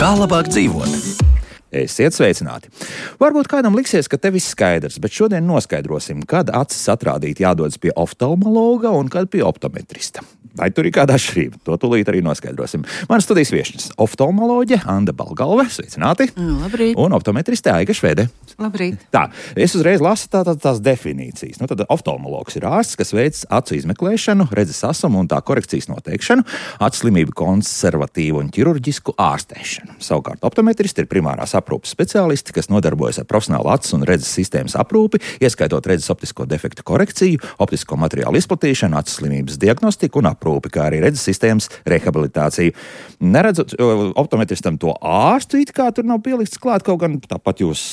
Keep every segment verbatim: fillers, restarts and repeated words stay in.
Kā labāk dzīvot? Esiet sveicināti! Varbūt kādam liksies, ka te viss skaidrs, bet šodien noskaidrosim, kad acis atrādīt jādodas pie oftalmologa un kad pie optometrista. Vai tur ir kāda atšķirība? To tūlīt arī noskaidrosim. Mana studijas viešņas - oftalmoloģe Anda Balgalve, sveicināti! Labrīt! Un optometriste Aiga Švede. Labrīt! Tā, es uzreiz lasu tā, tā, tās definīcijas. Nu, tad oftalmologs ir ārsts, kas veic acu izmeklēšanu, redzes asumu un tā korekcijas noteikšanu, acu slimību konservatīvu un ķirurģisku ārstēšanu. Savukārt optometristi ir primārās aprūpes speciālisti, kas nodarbojas ar profesionālu acu un redzes sistēmas aprūpi, ieskaitot redzes optisko defektu korekciju, optisko materiālu izplatīšanu, acu slimības diagnostiku un aprūpi, kā arī redzes sistēmas rehabilitāciju. Neredzot optometristam to ārstu, it kā tur nav pielikts klāt, kaut gan tāpat jūs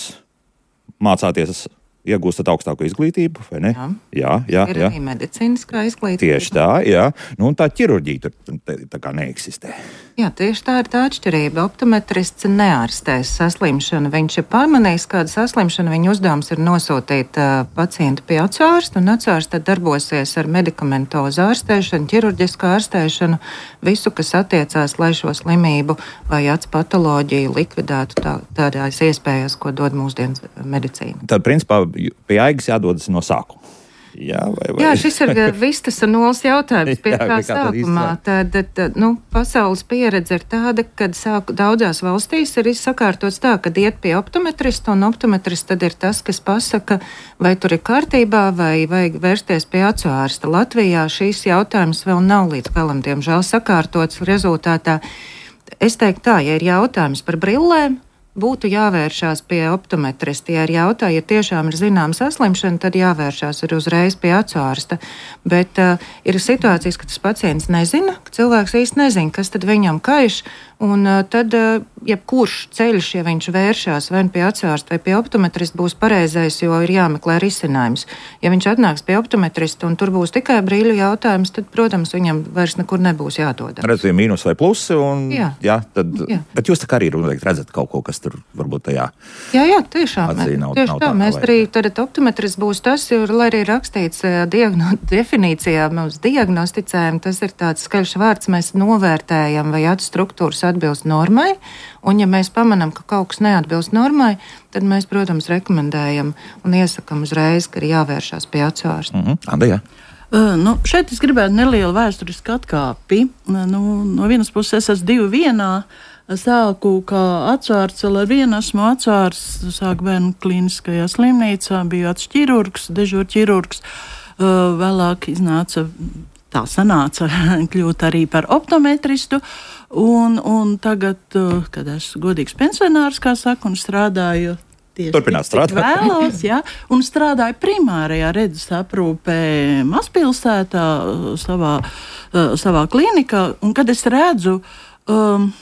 mācāties, iegūstat augstāko izglītību, vai ne? Jā, jā, jā. Ir jā. arī medicīniskā izglītība. Tieši tā, jā. Nu, un tā ķirurģija tur tā, tā kā neeksistē. Jā, tieši tā ir tā atšķirība. Optometrists neārstēs saslimšanu. Viņš ir pamanījis kādu saslimšanu, viņa uzdevums ir nosūtīt uh, pacientu pie acu ārsta, un acu ārsts tad darbosies ar medikamentozu ārstēšanu, ķirurģisku ārstēšanu, visu, kas attiecās, lai šo slimību vai acu patoloģiju likvidētu tā, tādās iespējas, ko dod mūsdienas medicīna. Tad, principā, pie Aigas jādodas no sākuma. Jā, vai, vai? Jā, šis ir vistas un nulles jautājums pie Jā, kā kā tad sākumā. Tad, tad, nu, pasaules pieredze ir tāda, ka sāk, daudzās valstīs ir sakārtots tā, ka iet pie optometrista, un optometrists tad ir tas, kas pasaka, vai tur ir kārtībā, vai vajag vērsties pie acu ārsta. Latvijā šīs jautājums vēl nav līdz galam, diemžēl, sakārtots rezultātā. Es teiktu tā, ja ir jautājums par brillēm, būtu jāvēršās pie optometrista. Ja ir jautājums, ja tiešām ir zināma saslimšana, tad jāvēršās ir uzreiz pie acu ārsta. Bet uh, ir situācijas, ka tas pacients nezina, ka cilvēks īsti nezina, kas tad viņam kaiš, un uh, tad uh, jebkurš ceļš, ja viņš vēršās vai pie acu ārsta vai pie optometrista, būs pareizais, jo ir jāmeklē risinājums. Ja viņš atnāks pie optometrista un tur būs tikai brīļu jautājums, tad, protams, viņam vairs nekur nebūs jādodas. Redzēt, mīnus vai plusi, un jā. Jā, tad, jā. Bet jūs tā kā arī redzat kaut ko, kas tur varbūt tajā. Jā, jā, tiešām. Atzī, nav, tieši nav tā, tā, mēs arī tad optometrists būs tas, jo, lai arī rakstīts diagno, definīcijā, mēs diagnosticējam, tas ir tāds skaļš vārds, mēs novērtējam, vai acu struktūras atbilst normai, un ja mēs pamanām, ka kaut kas neatbilst normai, tad mēs, protams, rekomendējam un iesakam uzreiz, ka ir jāvēršās pie acu ārsta. Mhm. Anda, jā. Uh, nu, šeit es gribētu nelielu vēsturisku atkāpi. Nu, no vienas puses es esmu divi vienā. Sāku kā acārsts, vēl ar vienu esmu acārsts, sāku bērnu klīniskajā slimnīcā, biju acu ķirurgs, dežūra ķirurgs. Uh, vēlāk iznāca, tā sanāca, kļūt arī par optometristu. Un, un tagad, uh, kad esmu godīgs pensionārs, kā saka, un strādāju tieši Turpināt strādāt. Vēlos, jā, un strādāju primārajā redzes aprūpē mazpilsētā, savā, uh, savā klinikā. Un kad es redzu, um,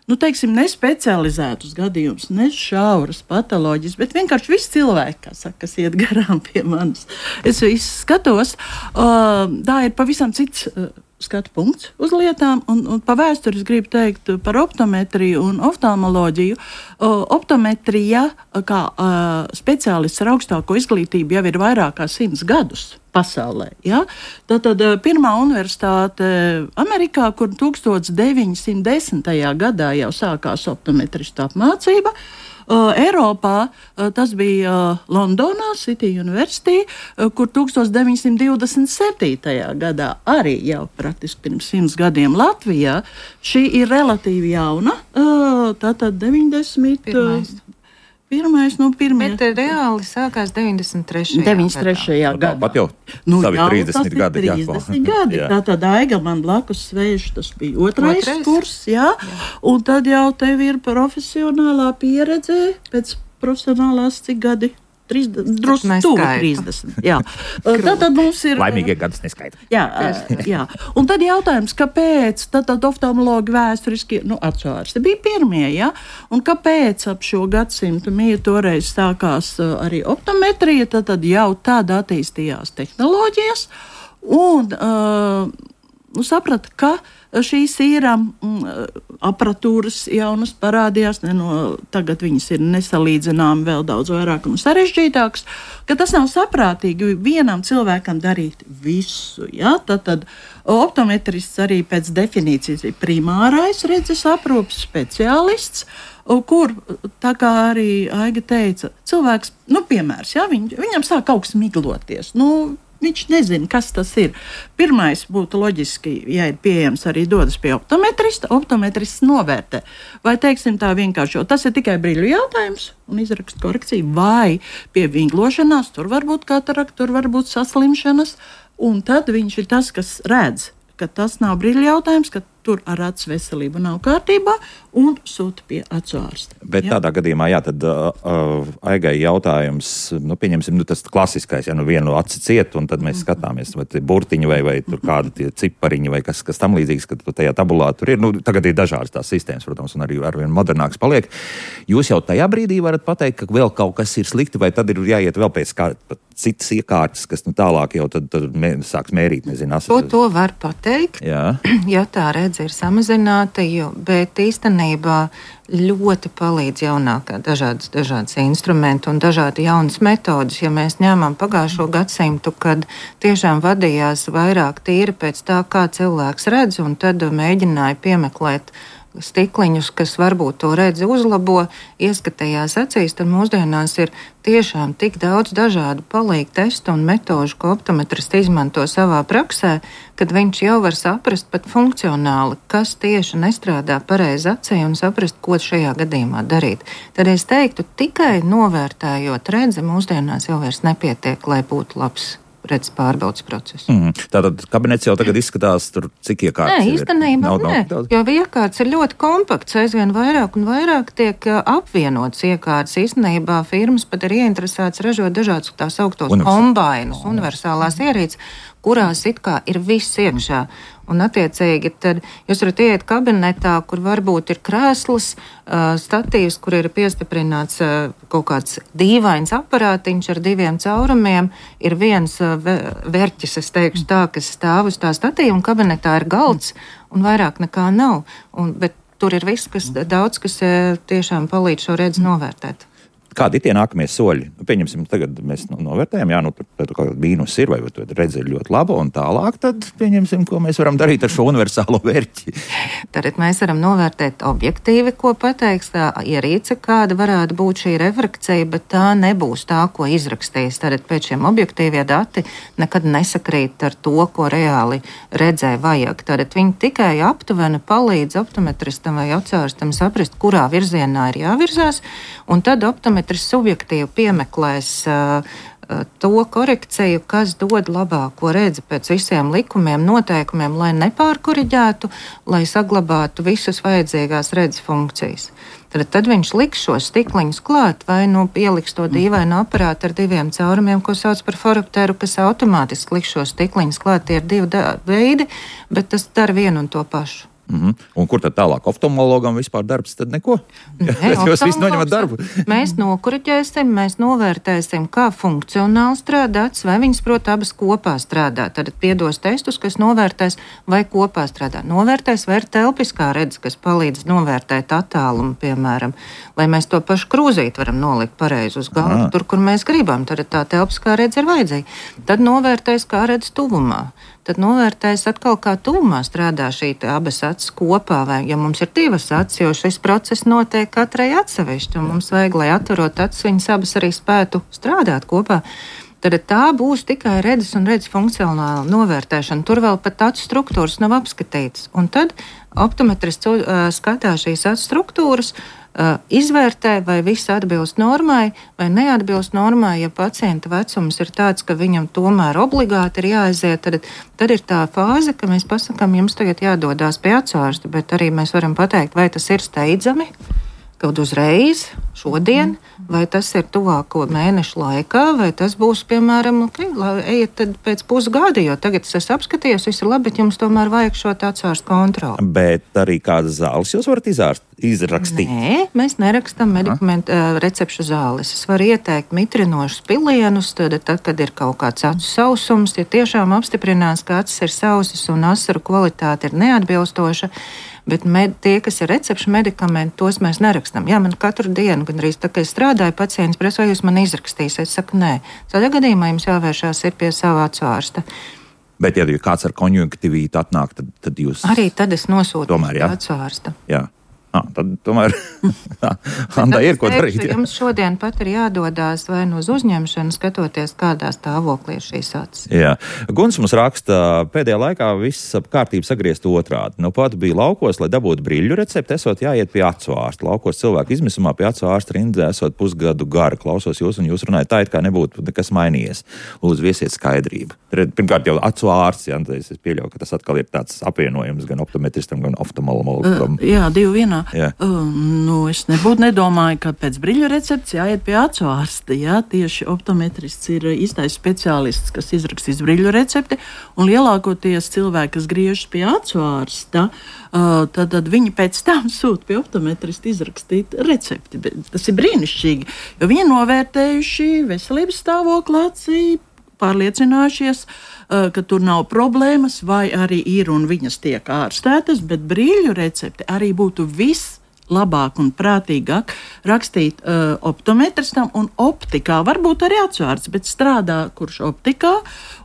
nu, teiksim, ne specializētus gadījumus, ne šauras patoloģijas, bet vienkārši visi cilvēki, kā saka, kas iet garām pie manis. Es visu skatos, uh, tā ir pavisam cits uh, skatu punkts uz lietām, un, un pa vēsturi es gribu teikt par optometriju un oftalmoloģiju. Uh, optometrija, kā uh, speciālists ar augstāko izglītību, jau ir vairāk kā simts gadus pasaulē. Ja? Tātad pirmā universitāte Amerikā, kur tukstot deviņsimt desmitajā gadā jau sākās optometristu apmācība. Uh, Eiropā uh, tas bija uh, Londonā, City University, uh, kur deviņpadsmit divdesmit septītajā gadā arī jau praktiski pirms simts gadiem. Latvijā šī ir relatīvi jauna, uh, tātad deviņdesmit Pirmais. Pirmais, nu, pirmie. Bet reāli sākās deviņdesmit trešajā deviņdesmit trešajā gadā. Pat jau Nu, savi jā, trīsdesmit gadi. Jā, trīsdesmit gadi. Jā. Tātad Aiga man blakus sēž, tas bija otrais, Otrais? kurs, jā. jā. Un tad jau tev ir profesionālā pieredze pēc profesionālās cik gadi? Drusku tuvu trīsdesmit. Jā. Tātad mums ir... Laimīgie gadus neskaita. Jā, jā. Un tad jautājums, kāpēc tad oftalmologi vēsturiski, nu, acu ārsti bija pirmie, jā? Un kāpēc ap šo gadsimtu mīja toreiz sākās arī optometrija, tad, tad jau tāda attīstījās tehnoloģijas, un uh, nu, saprata, ka šīs ir mm, aparatūras jaunas parādījās, ne, no, tagad viņas ir nesalīdzināmi vēl daudz vairāk un sarežģītākas, ka tas nav saprātīgi vienam cilvēkam darīt visu. Ja? Tad, tad optometrists arī pēc definīcijas ir primārais redzes aprūpes speciālists, kur, tā kā arī Aiga teica, cilvēks, nu, piemērs, ja, viņ, viņam sāk kaut kas migloties, nu, viņš nezina, kas tas ir. Pirmais būtu loģiski, ja ir pieejams, arī dodas pie optometrista, optometrists novērtē. Vai, teiksim, tā vienkārši, jo tas ir tikai brīļu jautājums un izraksta korekciju, vai pie vinglošanās, tur var būt katarakta, tur var būt saslimšanas, un tad viņš ir tas, kas redz, ka tas nav brīļu jautājums, ka tur ar acu veselību nav kārtībā un sūta pie acu ārsta. Bet jā. Tādā gadījumā, jā, tad uh, uh, Aigai jautājums, nu, pieņemsim, nu, tas klasiskais, ja nu vienu aci ciet, un tad mēs mm. skatāmies, vai tie burtiņi vai, vai tur kādi tie cipariņi vai kas, kas tam līdzīgs, kad tajā tabulā tur ir. Nu, tagad ir dažādas tās sistēmas, protams, un arī arvien modernāks paliek. Jūs jau tajā brīdī varat pateikt, ka vēl kaut kas ir slikti, vai tad ir jāiet vēl pēc kā citas iekārtas, kas nu tālāk jau tad, tad mē, sāks mērīt, nezinu, asas. To, to var pateikt, jā. Ja tā redze ir samazināta, jo, bet īstenībā ļoti palīdz jaunākā dažādas, dažādas instrumenti un dažādi jaunas metodas. Ja mēs ņēmām pagājušo gadsimtu, kad tiešām vadījās vairāk tīri pēc tā, kā cilvēks redz, un tad mēģināja piemeklēt stikliņus, kas varbūt to redzi uzlabo, ieskatījās acīs, tad mūsdienās ir tiešām tik daudz dažādu palīgu testu un metožu, ko optometristi izmanto savā praksē, kad viņš jau var saprast pat funkcionāli, kas tieši nestrādā pareizi acī un saprast, ko šajā gadījumā darīt. Tad es teiktu, tikai novērtējot redzi mūsdienās jau vairs nepietiek, lai būtu labs redzes pārbaudas process. Mm. Tātad kabinets jau tagad izskatās, tur cik iekārtas nē, ir? Īstenībā nav, nē, nav jo iekārtas ir ļoti kompakts, aizvien vairāk un vairāk tiek apvienots iekārtas. Īstenībā firmas pat ir ieinteresētas ražot dažādus tās augtos kombainus, universālās ierīces, kurās it kā ir viss iekšā. Un attiecīgi tad jūs varat iet kabinetā, kur varbūt ir krēsls, uh, statīvs, kur ir piestiprināts uh, kaut kāds dīvains aparātiņš ar diviem caurumiem, ir viens uh, verķis, es teikšu tā, kas stāv uz tā statīva, un kabinetā ir galds, un vairāk nekā nav. Un, bet tur ir viss, kas daudz, kas uh, tiešām palīdz šo redzi novērtēt. Kādi ir tie nākamie soļi? Nu, pieņemsim, tagad mēs novērtējam, jā, nu, tur, tur kaut kāda mīnus ir, vai tur redze ir ļoti laba, un tālāk tad pieņemsim, ko mēs varam darīt ar šo universālo vērķi. Tad mēs varam novērtēt objektīvi, ko pateiks tā ierīce, kāda varētu būt šī refrakcija, bet tā nebūs tā, ko izrakstīs. Tad pēc šiem objektīvie dati nekad nesakrīt ar to, ko reāli redzē vajag. Tad viņi tikai aptuveni palīdz optometristam vai acārstam saprast, kurā virzienā ir jāvirzās, un tad optometristam subjektīvi piemeklēs uh, uh, to korekciju, kas dod labāko redzi pēc visiem likumiem, noteikumiem, lai nepārkoriģētu, lai saglabātu visas vajadzīgās redzes funkcijas. Tad, tad viņš liks šos stikliņus klāt vai nu pieliks to dīvainu aparātu ar diviem caurumiem, ko sauc par foropteru, kas automātiski liks šos stikliņus klāt. Tie ir divi da- veidi, bet tas dara vienu un to pašu. Mm-hmm. Un kur tad tālāk oftalmologam vispār darbs? Tad neko. Nē, jūs visi noņemat darbu. Mēs nokuriķēsim, mēs novērtēsim, kā funkcionāli strādāts, vai viņas, prot, abas kopā strādā. Tad piedos testus, kas novērtēs, vai kopā strādā. Novērtēs, vai ir telpiskā redze, kas palīdz novērtēt attālumu, piemēram, lai mēs to pašu krūzīti varam nolikt pareizi uz galvu, tur, kur mēs gribam. Tad tā telpiskā redze ir vajadzīga. Tad novērtēs, kā redz tuvumā. Tad novērtēs atkal, kā tuvumā strādā šī abas acis kopā, vai ja mums ir divas acis, jo šis process notiek katrai atsevišķi, un mums vajag, lai atverot acis, viņas abas arī spētu strādāt kopā. Tad tā būs tikai redzes un redzes funkcionāla novērtēšana. Tur vēl pat acu struktūras nav apskatītas. Un tad optometrists uh, skatās šīs acu struktūras, Uh, izvērtē, vai viss atbilst normai, vai neatbilst normai. Ja pacienta vecums ir tāds, ka viņam tomēr obligāti ir jāaiziet, tad, tad ir tā fāze, ka mēs pasakām, jums tagad jādodās pie acārsta, bet arī mēs varam pateikt, vai tas ir steidzami, kaut uzreiz, šodien, vai tas ir tuvāko mēnešu laikā, vai tas būs, piemēram, okay, ejiet tad pēc pusgada, jo tagad es esmu apskatījis, viss ir labi, bet jums tomēr vajag šo acārstu kontroli. Bet arī kādas zāles jūs varat izārst, izrakstīt? Nē, mēs nerakstam medikamentu uh, recepšu zāles. Es varu ieteikt mitrinošus pilienus, tad, tad, kad ir kaut kāds acu sausums, ja tiešām apstiprinās, ka acis ir sausas un asaru kvalitāte ir neatbilstoša, bet med, tie, kas ir recepšu medikamenti, tos mēs nerakstam. Jā, man katru dienu, gandrīz tā, ka es strādāju, pacients prasa, vai jūs man izrakstīsiet. Es saku, nē. Tādā gadījumā jums jāvēršās ir pie sava acu ārsta. Bet, ja kāds ar konjunktivīti atnāk, tad, tad jūs... Arī tad es nosūtu tomēr, pie acu ārsta. Jā. Ah, tad tomēr Andai ir ko darīt. Jā. Jums šodien pat ir jādodās vai no uz uzņemšanu, skatoties, kādā stāvoklī ir šīs acis. Jā. Guns mums raksta, pēdējā laikā viss ap kārtību sagriezt otrādi. Nu pat bija laukos, lai dabūtu brīļu recepti, esot jāiet pie acu ārsta. Laukos cilvēku izmisumā pie acu ārsta rindzē esot pusgadu gara. Klausos jūs un jūs runājat tā, it kā nebūtu nekas mainījies. Lūdzu, viesiet skaidrību. Pirmkārt jau acu ārsts, jā, es pieļauju, ka tas atkal ir tāds apvienojums gan optometristam, gan oftalmologam. Uh, jā, divi vienā. Jā. Uh, nu, es nebūtu nedomāju, ka pēc brīļu recepts jāiet pie acu ārsta. Jā, tieši optometrists ir īstais speciālists, kas izrakstīs brīļu recepti, un lielākoties cilvēki, kas griežas pie acu ārsta, uh, tad, tad viņi pēc tam sūta pie optometrista izrakstīt recepti. Tas ir brīnišķīgi, jo viņi novērtējuši veselības stāvokli acī, pārliecinājušies, ka tur nav problēmas, vai arī ir un viņas tiek ārstētas, bet brīļu recepti arī būtu viss labāk un prātīgāk rakstīt uh, optometristam un optikā, varbūt arī acu ārsts, bet strādā kurš optikā,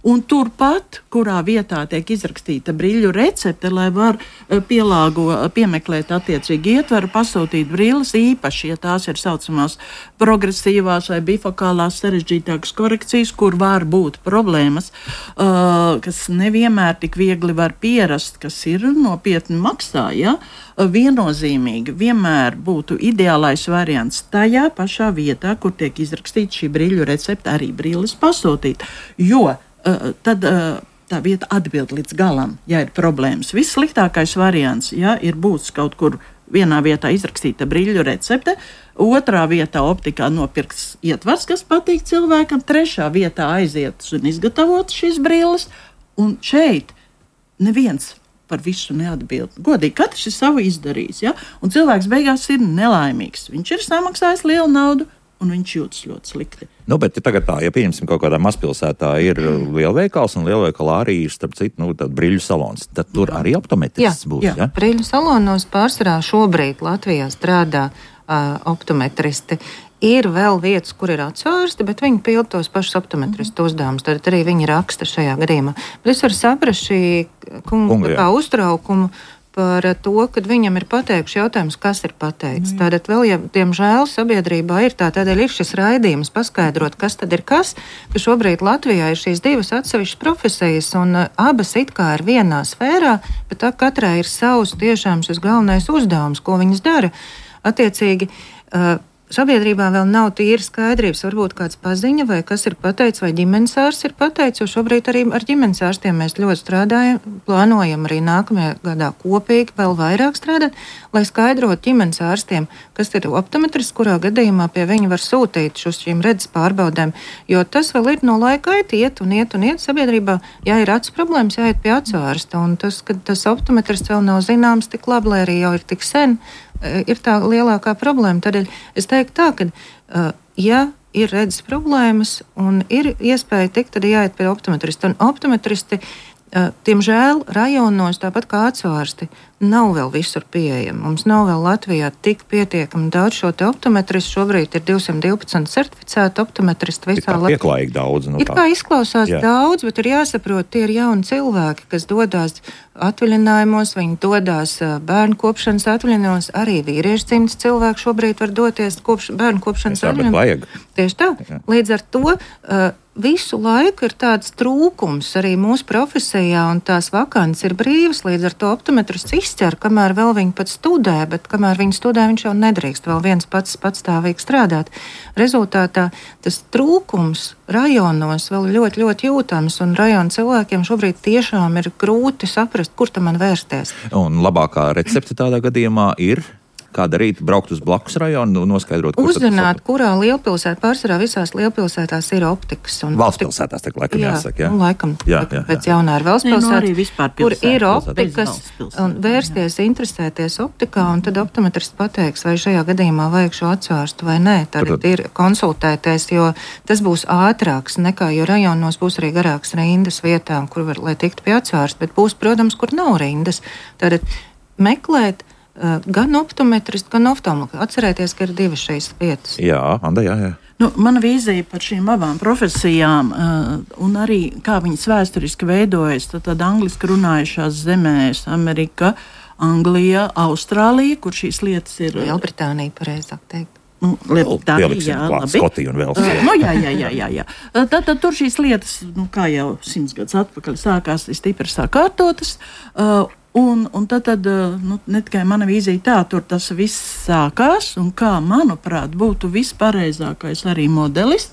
un turpat, kurā vietā tiek izrakstīta brīļu recepte, lai var uh, pielāgo, piemeklēt attiecīgi ietveru, pasūtīt brīles īpaši, ja tās ir saucamās progresīvās vai bifokālās sarežģītākas korekcijas, kur var būt problēmas, uh, kas nevienmēr tik viegli var pierast, kas ir nopietni maksā, ja? Viennozīmīgi vienmēr būtu ideālais variants tajā pašā vietā, kur tiek izrakstīta šī brīļu recepte, arī brīles pasūtīt, jo uh, tad uh, tā vieta atbild līdz galam, ja ir problēmas. Vissliktākais variants, ja ir būs kaut kur vienā vietā izrakstīta brīļu recepte, otrā vietā optikā nopirks ietvars, kas patīk cilvēkam, trešā vietā aizietas un izgatavotas šīs brīles, un šeit neviens par visu neatbild. Godīgi, katrs ir savu izdarījis, ja? Un cilvēks beigās ir nelaimīgs. Viņš ir samaksājis lielu naudu, un viņš jūtas ļoti slikti. Nu, bet ja tagad tā, ja pieņemsim kaut kādā mazpilsētā ir lielveikals, un lielveikalā arī ir, starp citu, nu, tāda brīļu salons, tad tur jā. Arī optometrists būs, jā? Ja? Brīļu salonos pārsvarā šobrīd Latvijā strādā uh, optometristi. Ir vēl vietas, kur ir acu ārsti, bet viņi pild tos pašus optometristu uzdevumus. Tad arī viņi raksta šajā gadījumā. Bet es varu saprast šī kunga, kunga kā uztraukumu par to, kad viņam ir pateikuši jautājums, kas ir pateicis. Mm. Tātad vēl, ja diemžēl sabiedrībā ir tā, tādēļ ir šis raidījums paskaidrot, kas tad ir kas, ka šobrīd Latvijā ir šīs divas atsevišķas profesijas, un abas it kā ir vienā sfērā, bet tā katrai ir savs tiešām šis galvenais uzdevums, ko viņas dara. Attiecīgi, uh, sabiedrībā vēl nav tīri skaidrības, varbūt kāds paziņa, vai kas ir pateicis, vai ģimenes ārsts ir pateicis, jo šobrīd arī ar ģimenes ārstiem mēs ļoti strādājam, plānojam arī nākamajā gadā kopīgi vēl vairāk strādāt, lai skaidrotu ģimenes ārstiem, kas ir optometrists, kurā gadījumā pie viņa var sūtīt uz šīm redzes pārbaudēm, jo tas vēl ir no laika ait, iet un iet un iet sabiedrībā, ja ir acu problēmas, jāiet pie acu ārsta, un tas, ka tas optometrists vēl nav zināms tik labi, lai arī jau ir tik sen, ir tā lielākā problēma. Tādēļ es teiktu tā, ka, uh, ja ir redzes problēmas un ir iespēja tikt, tad jāiet pie optometrista. Un optometristi, uh, tiemžēl, rajonos, tāpat kā acu ārsti, nav vēl visur pieejami. Mums nav vēl Latvijā tik pietiekami daudz šo te optometristu. Šobrīd ir divsimt divpadsmit certificēti optometristi visā Latvijā. Ir pieklājīgi daudz. Nu ir kā izklausās jā. Daudz, bet ir jāsaprot, tie ir jauni cilvēki, kas dodās atvaļinājumos, viņi dodās bērnu kopšanas atvaļinājumos, arī vīriešu dzimtas cilvēki šobrīd var doties kopš, bērnu kopšanas atvaļinājumos. Tieši tā. Jā. Līdz ar to uh, visu laiku ir tāds trūkums arī mūsu profesijā, un tās vakants ir brīvas, līdz ar to optometrists izcer, kamēr vēl viņi pat studē, bet kamēr viņi studē, viņš jau nedrīkst vēl viens pats patstāvīgi strādāt. Rezultātā tas trūkums rajonos vēl ļoti, ļoti jūtams, un rajonu cilvēkiem šobrīd tiešām ir grūti saprast, kur tam man vērsties. Un labākā recepte tādā gadījumā ir? Kā darīt? Braukt uz blakus rajonu, noskaidrot, kur uzzināt, kurā lielpilsētā, pārsvarā visās lielpilsētās ir optikas. Valsts pilsētās, tā laikam jā, jāsaka, jā? Nu, laikam, jā, laikam jā, jā. pēc jaunā ir valsts pilsēta, kur ir optikas, un vērsties, jā. interesēties optikā, un tad optometrists pateiks, vai šajā gadījumā vajag šo atsvērstu vai nē. Tad Protams. ir konsultēties, jo tas būs ātrāks nekā, jo rajonos būs arī garāks rindas vietām, kur var, lai tiktu pie atsvērsta, bet būs, protams, kur nav rindas. Tātad meklēt uh, gan optometristu, gan oftalmologu. Atcerēties, ka ir divas šīs vietas. Jā, Anda, jā, jā. Nu, mana vīzija par šīm abām profesijām uh, un arī kā viņas vēsturiski veidojas, tad, tad angliski runājušās zemēs Amerika, Anglija, Austrālija, kur šīs lietas ir... Lielbritānija, pareizāk teikt. Nu, Lielbritānija, jā, labi. Skotija un vēl. Uh, nu, jā, jā, jā, jā, jā. Tad, tad tur šīs lietas, nu, kā jau simts gadus atpakaļ sākās, stipri sakārtotas. Uh, Un, un tad, tad nu, ne tikai mana vīzija tā, tur tas viss sākās, un kā, manuprāt, būtu vispareizākais arī modelis,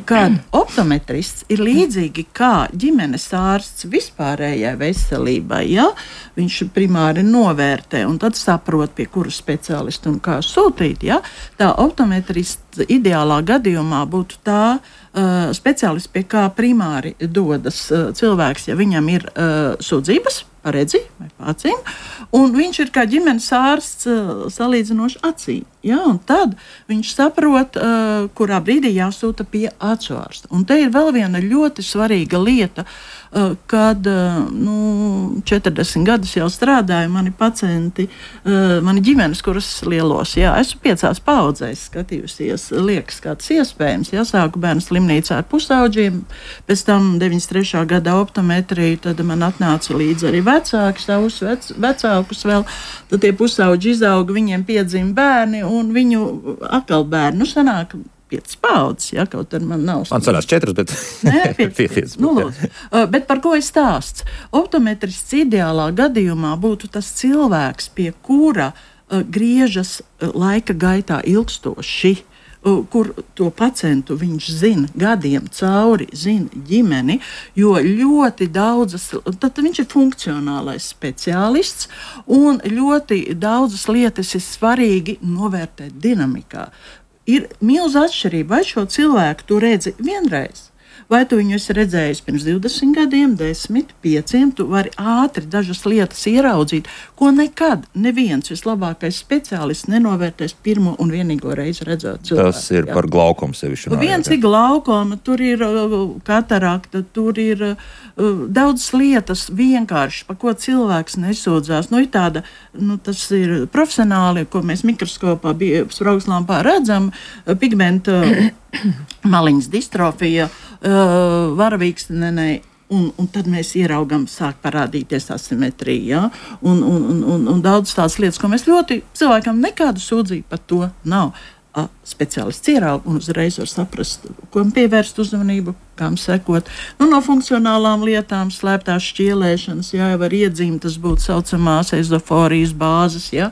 kad optometrists ir līdzīgi kā ģimenes ārsts vispārējai veselībai, ja? Viņš primāri novērtē un tad saprot, pie kura speciālista un kā sūtīt, ja? Tā optometrists ideālā gadījumā būtu tā uh, speciālists, pie kā primāri dodas uh, cilvēks, ja viņam ir uh, sūdzības, paredzi vai pācīm, un viņš ir kā ģimenes ārsts uh, salīdzinoši acīm. Ja? Un tad viņš saprot, uh, kurā brīdī jāsūta pie acu ārsta. Un te ir vēl viena ļoti svarīga lieta, uh, kad uh, nu, četrdesmit gadus jau strādāju mani pacienti, uh, mani ģimenes, kuras lielos, jā, esmu piecās paudzēs skatījusies, liekas, kā tas iespējams. Ja? Sāku bērnu slimnīcā ar pusauģiem, pēc tam deviņdesmit trešā gada optometriju, tad man atnāca līdzi arī vecāki, savus vec, vecākus vēl, tad tie pusauģi izauga, viņiem piedzima bērni, un viņu atkal bērni, nu sanāk piecas paudzes, ja, kaut arī man nav. Man sanās četras, bet... Nē, piecas. Nu, lūdzu. Uh, bet par ko ir stāsts? Optometrists ideālā gadījumā būtu tas cilvēks, pie kura uh, griežas uh, laika gaitā ilgstoši, kur to pacientu viņš zina gadiem cauri, zina ģimeni, jo ļoti daudzas, tad viņš ir funkcionālais speciālists, un ļoti daudzas lietas ir svarīgi novērtēt dinamikā. Ir milza atšķirība, vai šo cilvēku tu redzi vienreiz, vai tu viņu esi redzējis pirms divdesmit gadiem, desmit, pieciem, tu vari ātri dažas lietas ieraudzīt, ko nekad neviens vislabākais speciālists nenovērtēs pirmo un vienīgo reizi redzot cilvēku. Tas ir jā. Par glaukomu sevišķi. Viens ir glaukoma, tur ir uh, katarakta, tur ir uh, daudz lietas vienkārši, pa ko cilvēks nesūdzās. Nu, ir tāda, nu, tas ir profesionāli, ko mēs mikroskopā, spraugslampā redzam, pigmenta maliņas distrofija, uh, varavīksnenei, un, un tad mēs ieraugam, sāk parādīties asimetrija, ja? un, un, un, un, un daudz tādas lietas, ko mēs ļoti, cilvēkam nekādu sūdzību par to nav. A, speciālists ieraug un uzreiz var saprast, ko pievērst uzmanību, kam sekot. Nu, no funkcionālām lietām, slēptās šķielēšanas, jā, var iedzīmt, tas būtu saucamās ezoforijas bāzes, jā.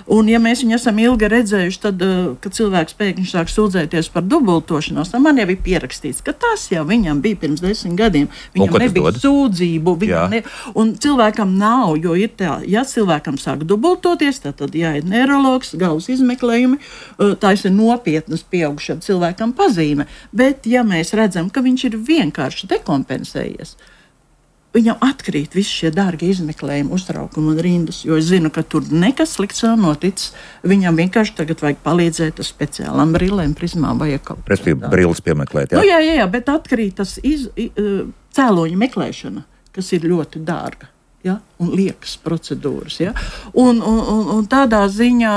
Un, ja mēs viņu esam ilgi redzējuši, tad, kad cilvēks pēkšņi sāk sūdzēties par dubultošanos, tad man jau ir pierakstīts, ka tas jau viņam bija pirms desmit gadiem. Viņam nebija sūdzību, viņam ne... un cilvēkam nav, jo ir tā, ja cilvēkam sāk dubultoties, tad, tad jāiet neirologs, galvas izmeklējumi, tā ir nopietnas pieaugušam cilvēkam pazīme. Bet, ja mēs redzam, ka viņš ir vienkārši dekompensējies, viņam atkrīt visi šie dārgie izmeklējumi, uztraukumi un rindas, jo es zinu, ka tur nekas slikts nav noticis. Viņam vienkārši tagad vajag palīdzēt ar speciālām brillēm, prizmām vai kaut kā. Respektīvi, brilles piemeklēt, jā? Nu, jā, jā, jā, bet atkrīt tas iz, cēloņu meklēšana, kas ir ļoti dārga. Ja? Un liekas procedūras. Ja? Un, un, un, un tādā ziņā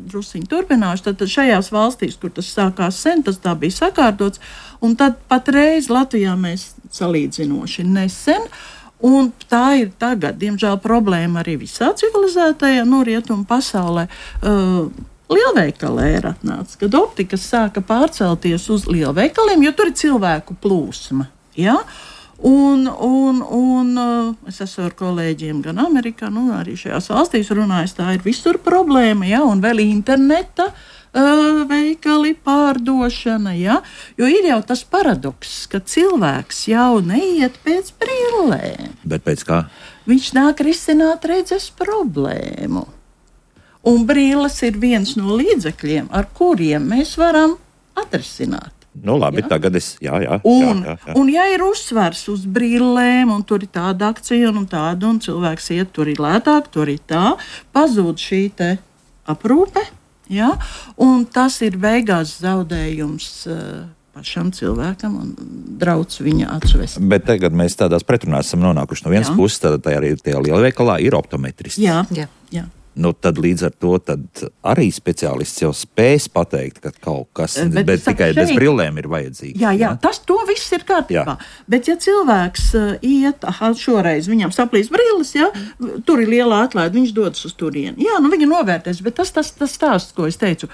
drusiņi turpināšu, tad šajās valstīs, kur tas sākās sen, tas tā bija sakārtots, un tad patreiz Latvijā mēs salīdzinoši nesen, un tā ir tagad, diemžēl, problēma arī visā civilizētajā, nu, rietumu pasaulē. Uh, Lielveikalē ir atnācis, kad optikas sāka pārcelties uz lielveikaliem, jo tur ir cilvēku plūsma. Ja? Un, un, un es esmu ar kolēģiem gan Amerikā, nu, arī šajās valstīs runājis, tā ir visur problēma, ja, un vēl interneta uh, veikali pārdošana, ja, jo ir jau tas paradoks, ka cilvēks jau neiet pēc brillēm. Bet pēc kā? Viņš nāk risināt redzes problēmu. Un brīles ir viens no līdzekļiem, ar kuriem mēs varam atrisināt. Nu, labi, jā. Tagad es. Jā, jā, un, jā, jā, jā. un, ja ir uzsvars uz brillēm, un tur ir tāda akcija, un tāda, un cilvēks iet, tur ir lētāk, tur ir tā, pazūd šī te aprūpe, jā, un tas ir beigās zaudējums uh, pašam cilvēkam un drauds viņa atsvest. Bet tagad mēs tādās pretrunās esam nonākuši. No vienas jā. puses, tad arī tajā lielveikalā ir optometrists. Jā, jā. jā. Nu, tad līdz ar to tad arī speciālists jau spēs pateikt, ka kaut kas bet, bet tikai šeit, bez brillēm ir vajadzīgs. Jā, jā, tas to viss ir kārtībā. Jā. Bet ja cilvēks uh, iet, aha, šoreiz viņam saplīs brilles, ja, tur ir liela atlaide, viņš dodas uz turieni. Jā, nu viņa novērtēs, bet tas tas, tas stāsts, ko es teicu,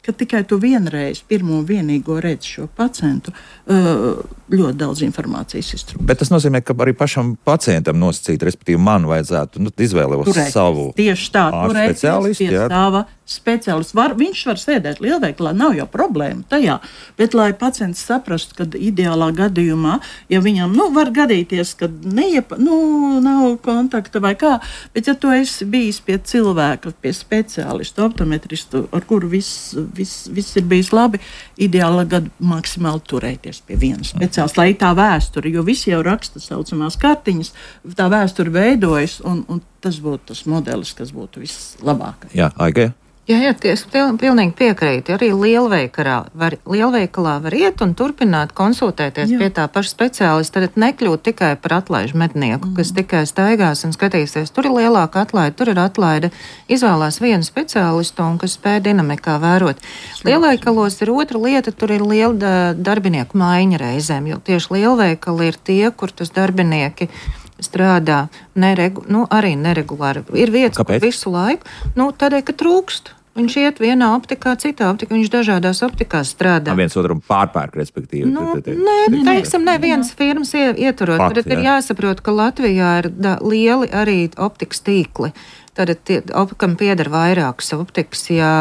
ka tikai tu vienreiz pirmo vienīgo redzi šo pacientu, uh, ļoti daudz informācijas iztrūkst. Bet tas nozīmē, ka arī pašam pacientam nosacīt, respektīvi man vajadzētu nu, izvēlēt savu tieši tā, speciālistu. Pie sava speciālists. Var, viņš var sēdēt lielveikalā, nav jau problēma tajā, bet lai pacients saprastu, ka ideālā gadījumā, ja viņam, nu, var gadīties, ka neiepa, nu, nav kontakta vai kā, bet ja tu esi bijis pie cilvēka, pie speciālistu, optometristu, ar kuru viss, viss, viss ir bijis labi, ideālā gadu maksimāli turēties pie vienas speciālistu, lai tā vēsture, jo visi jau raksta saucamās kartiņas, tā vēsture veidojas, un, un tas būtu tas modelis, kas būtu vislabākais. Jā, Aiga. Jā, jā, es pilnīgi piekrītu. Arī lielveikalā var, lielveikalā var iet un turpināt konsultēties jā. Pie tā paša speciālista. Tad nekļūt tikai par atlaižu mednieku, mm. kas tikai staigās un skatīsies. Tur ir lielāka atlaide, tur ir atlaide. Izvēlās vienu speciālistu un kas spēj dinamikā vērot. Lielveikalos ir otra lieta, tur ir liela darbinieku maiņa reizēm, jo tieši lielveikali ir tie, kur tas darbinieki strādā neregu, nu, arī neregulāri. Ir vietas, Kāpēc? Kur visu laiku, nu, tādēļ, ka trūkst. Viņš iet vienā optikā, citā optikā, viņš dažādās optikās strādā. Viens otram pārpērk, respektīvi. Nu, nē, teiksim, ne vienas firmas ieturot. Tad ir jāsaprot, ka Latvijā ir da, lieli arī optikas tīkli. Tad, kam pieder vairākas optikas, ja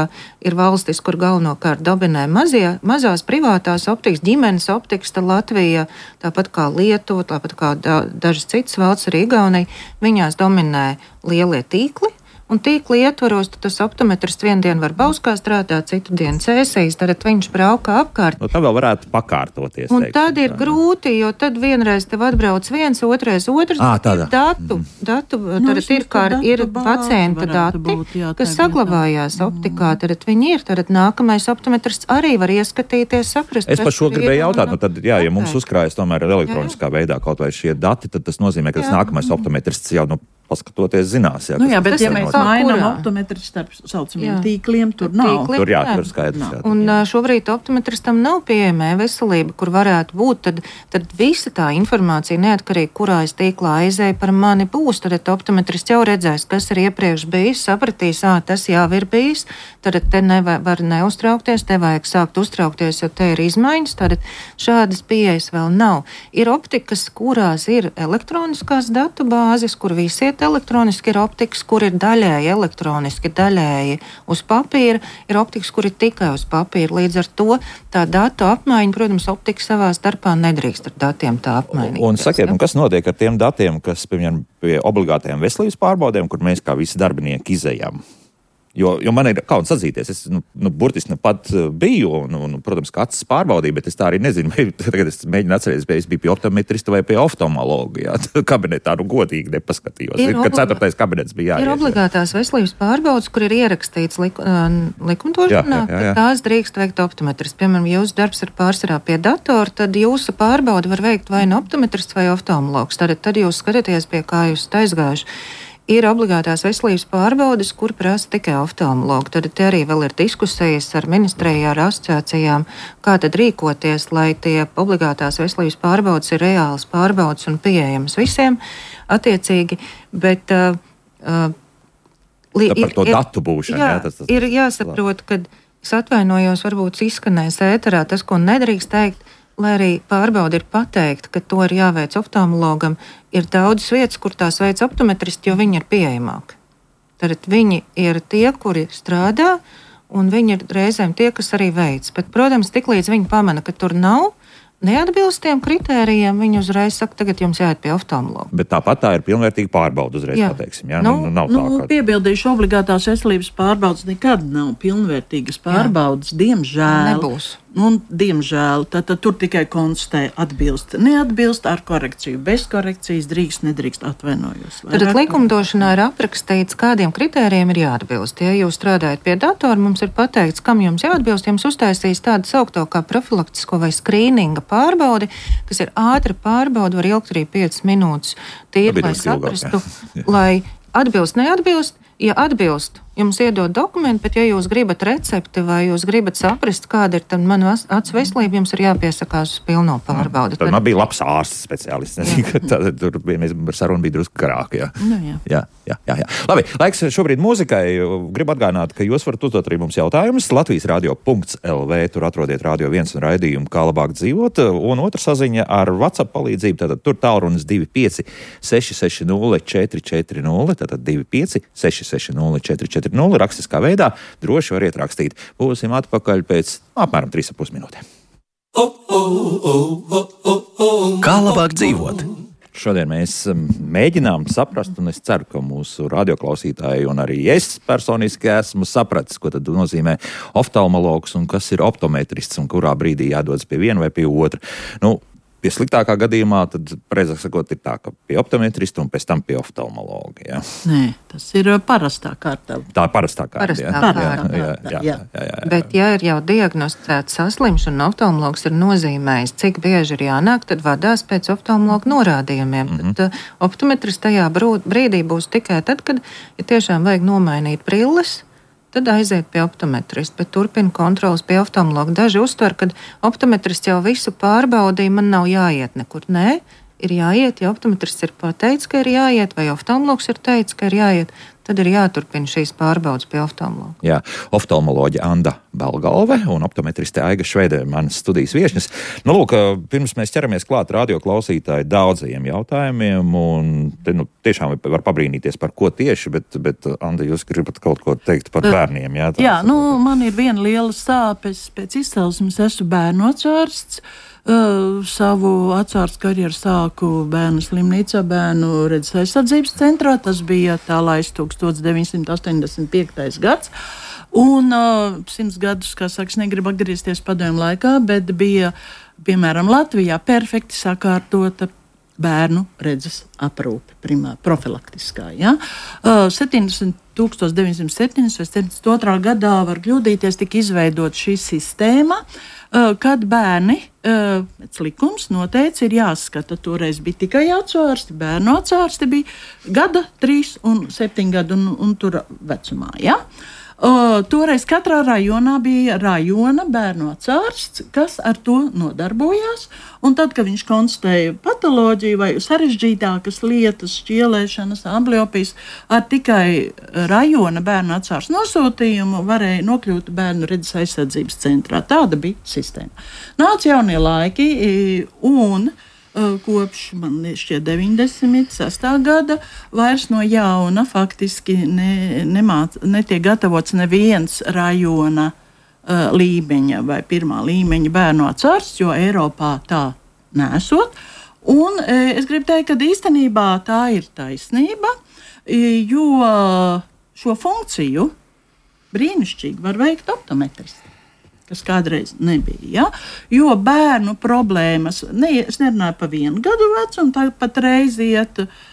ir valstis, kur galvenokārt dominē mazie, mazās privātās optikas, ģimenes optikas, tad Latvija, tāpat kā Lietuva, tāpat kā da, dažas citas valsts, arī Igaunija, viņās dominē lielie tīkli. Un tīkli ietvaros, tas optometrists vienu dienu var Bauskā strādāt, citu dienu Cēsīs, tad viņš brauka apkārt. Nu, tā vēl varētu pakārtoties. Un teiksim, tad ir tā. Grūti, jo tad vienreiz tev atbrauc viens, otrais otrs, à, ir datu, mm. datu tad nu, ir, kā, ir pacienta dati, būt, jā, kas saglabājās vietā. Optikā, tad viņi ir, tad nākamais optometrists arī var ieskatīties, saprast. Es par šo gribēju jautāt, nu tad, jā, ja mums uzkrājas tomēr elektroniskā jā, jā. veidā kaut vai šie dati, tad tas nozīmē, ka tas jā. Nākamais optometrists jau, nu, paskatoties, zinās. Jā, nu jā, bet ja mēs mainām kurā? Optometru starp saucamiem tīkliem, tur nav. Tīkli, tur jā, tur skaidrs. Jā. Un šobrīd optometristam nav pieejama veselība, kur varētu būt, tad, tad visa tā informācija, neatkarīgi, kurā es tīklā aizēju, par mani būs. Tad optometrists jau redzēs, kas ir iepriekš bijis, sapratīs, ā, tas jau ir bijis, tad te nevar neuztraukties, te vajag sākt uztraukties, jo te ir izmaiņas, tad šādas pieejas vēl nav. Ir optikas, kurās ir elektroniskās datu bāzes, kur visi elektroniski ir optikas, kur ir daļēji elektroniski, daļēji uz papīra, ir optikas, kur ir tikai uz papīra. Līdz ar to tā datu apmaiņa, protams, optikas savā starpā nedrīkst ar datiem tā apmainīt. Un sakiet, un kas notiek ar tiem datiem, kas, piemēram, pie obligātajām veselības pārbaudēm, kur mēs kā visi darbinieki izejam? Jo, jo man ir kauns atzīties, es nu, nu, burtiski nu pat biju, un, un, protams, ka acis pārbaudīju, bet es tā arī nezinu, vai tagad es mēģinu atcerēties, vai es biju pie optometrista vai pie oftalmologa, jā, kabinetā, nu godīgi nepaskatījos, ir, kad ceturtais kabinets bija jāies. Ir obligātās veselības pārbaudas, kur ir ierakstīts lik, likumdošanā, jā, jā, jā, jā. ka tās drīkst veikt optometrists. Piemēram, jūsu darbs ir pārsvarā pie datora, tad jūsu pārbauda var veikt vai nu optometrists vai oftalmologs. Tad, tad jūs skatāties, pie kā jūs aizgājuši. Ir obligātās veselības pārbaudes, kur prasa tikai oftalmologi. Tad te arī vēl ir diskusijas ar ministrijā, ar asociācijām, kā tad rīkoties, lai tie obligātās veselības pārbaudes ir reālas pārbaudes un pieejamas visiem attiecīgi. Bet, uh, uh, li, par to ir, datu būšanu. Jā, jā, tas, tas, ir jāsaprot, ka es atvainojos, varbūt izskanēs ēterā tas, ko nedrīkst teikt, lai arī pārbauda ir pateikta, ka to ir jāveic oftalmologam, ir daudzas vietas, kur tās veic optometristi, jo viņi ir pieejamāki. Tad viņi ir tie, kuri strādā, un viņi ir reizēm tie, kas arī veic. Bet, protams, tiklīdz viņi pamana, ka tur nav neatbilst tiem kritērijiem, viņi uzreiz saka, tagad jums jāiet pie oftalmologa. Bet tāpat tā ir pilnvērtīga pārbauda uzreiz, jā. Pateiksim. Jā, nu, nu, nav nu, tā, ka... Piebildīšu, obligātās veselības pārbaudas nekad nav pilnvērtīgas pārbaudas, jā. Diemžēl. Nebūs. Un, diemžēl, tad, tad tur tikai konstatē atbilst, neatbilst ar korekciju. Bez korekcijas drīkst, nedrīkst, atvainojos. Tad likumdošanā ir aprakstīts, kādiem kritērijiem ir jāatbilst. Ja jūs strādājat pie datora, mums ir pateikts, kam jums jāatbilst. Jums uztaisīs tādu saukto kā profilaktisko vai skrīninga pārbaudi, kas ir ātra pārbauda, var ilgt arī piecas minūtes. Tīri, lai saprastu, lai atbilst, neatbilst. Ja atbilst, jums iedod dokumentu, bet ja jūs gribat recepti vai jūs gribat saprast, kāda ir mana acu veselība, jums ir jāpiesakās uz pilno pārbaudi. Tad man bija labs ārsts speciālists. Nezinu, ka tā, tur bija, saruna bija drusku garāka. Jā. Nu, jā. Jā, jā, jā, jā. Labi, laiks šobrīd mūzikai. Gribu atgādināt, ka jūs varat uzdot arī mums jautājumus. Latvijas radio punkts el vē, tur atrodiet Radio viens un raidījumu, kā labāk dzīvot. Un otra saziņa ar WhatsApp palīdzību, tātad tur tālrunis divi pieci seši seši nulle četri četri nulle, tātad divi pieci seši seši nulle četri četri nulle, rakstiskā veidā, droši variet rakstīt. Būsim atpakaļ pēc apmēram trīs ar pus minūtēm. Kā labāk dzīvot? Šodien mēs mēģinām saprast, un es ceru, ka mūsu radioklausītāji un arī es personiski esmu sapratis, ko tad nozīmē oftalmologs un kas ir optometrists un kurā brīdī jādodas pie viena vai pie otra. Nu, pie sliktākā gadījumā, tad, precīzāk sakot, ir tā, ka pie optometrista un pēc tam pie oftalmologa. Ja? Nē, tas ir parastā kārta. Tā ir parastā kārta. Parastā jā. kārta. Jā, jā, jā, jā, jā, jā, jā. Bet, ja ir jau diagnosticēta saslimšana un oftalmologs ir nozīmējis, cik bieži ir jānāk, tad vadās pēc oftalmologa norādījumiem. Mm-hmm. Tad uh, optometrists tajā brīdī būs tikai tad, kad ja tiešām vajag nomainīt brilles, tad aiziet pie optometrista, bet turpina kontrolas pie oftalmologa. Daži uztver, ka optometrists jau visu pārbaudīja, man nav jāiet nekur. Nē, ir jāiet, ja optometrists ir pateicis, ka ir jāiet, vai oftalmologs ir teicis, ka ir jāiet, tad ir jāturpina šīs pārbaudas pie oftalmologa. Jā, oftalmoloģe Anda Belgalve un optometriste Aiga Švede, manas studijas viešņas. Nu, lūk, pirms mēs ķeramies klāt radio klausītāju daudzajiem jautājumiem, un te, nu, tiešām var pabrīnīties par ko tieši, bet, bet Anda, jūs gribat kaut ko teikt par bērniem? Jā, jā nu, man ir viena liela sāpes pēc izcelsmes, esmu bērnu atsvērsts. Uh, savu atsvārstu karjeru sāku bērnu slimnīcā, bērnu redzes aizsardzības centrā. Tas bija tā laists tukstovs deviņsimt astoņdesmit piektais gads. Un uh, simts gadus, kā saka, negribu atgriezties padomju laikā, bet bija, piemēram, Latvijā perfekti sakārtota bērnu redzes aprūpe, primā, profilaktiskā. Ja? Uh, septiņdesmit deviņsimt septiņdesmit vai septiņdesmit otrā gadā var kļūdīties, tika izveidot šī sistēma, uh, kad bērni, uh, pēc likums noteica, ir jāskata. Toreiz bija tikai atsvārsti, bērnu atsvārsti bija gada, trīs un septiņi gadu un, un tur vecumā. Ja? Uh, toreiz katrā rajonā bija rajona bērnu atsvārsts, kas ar to nodarbojās. Un tad, kad viņš konstatēja patoloģiju vai sarežģītākas lietas, šķielēšanas, ambliopijas, ar tikai rajona bērnu atsvārsts nosūtījumu varēja nokļūt bērnu redzes aizsardzības centrā. Tāda bija sistēma. Nāca jaunie laiki un kopš, man šķiet, deviņdesmit sestā gada vairs no jauna faktiski ne, nemāc, netiek gatavots neviens rajona uh, līmeņa vai pirmā līmeņa bērnu atsvārsts, jo Eiropā tā nesot. Un e, es gribu teikt, ka īstenībā tā ir taisnība, jo šo funkciju brīnišķīgi var veikt optometristi, kas kādreiz nebija. Ja? Jo bērnu problēmas, ne, es nerunāju par vienu gadu vecumu, tā pat reiz iet, uh,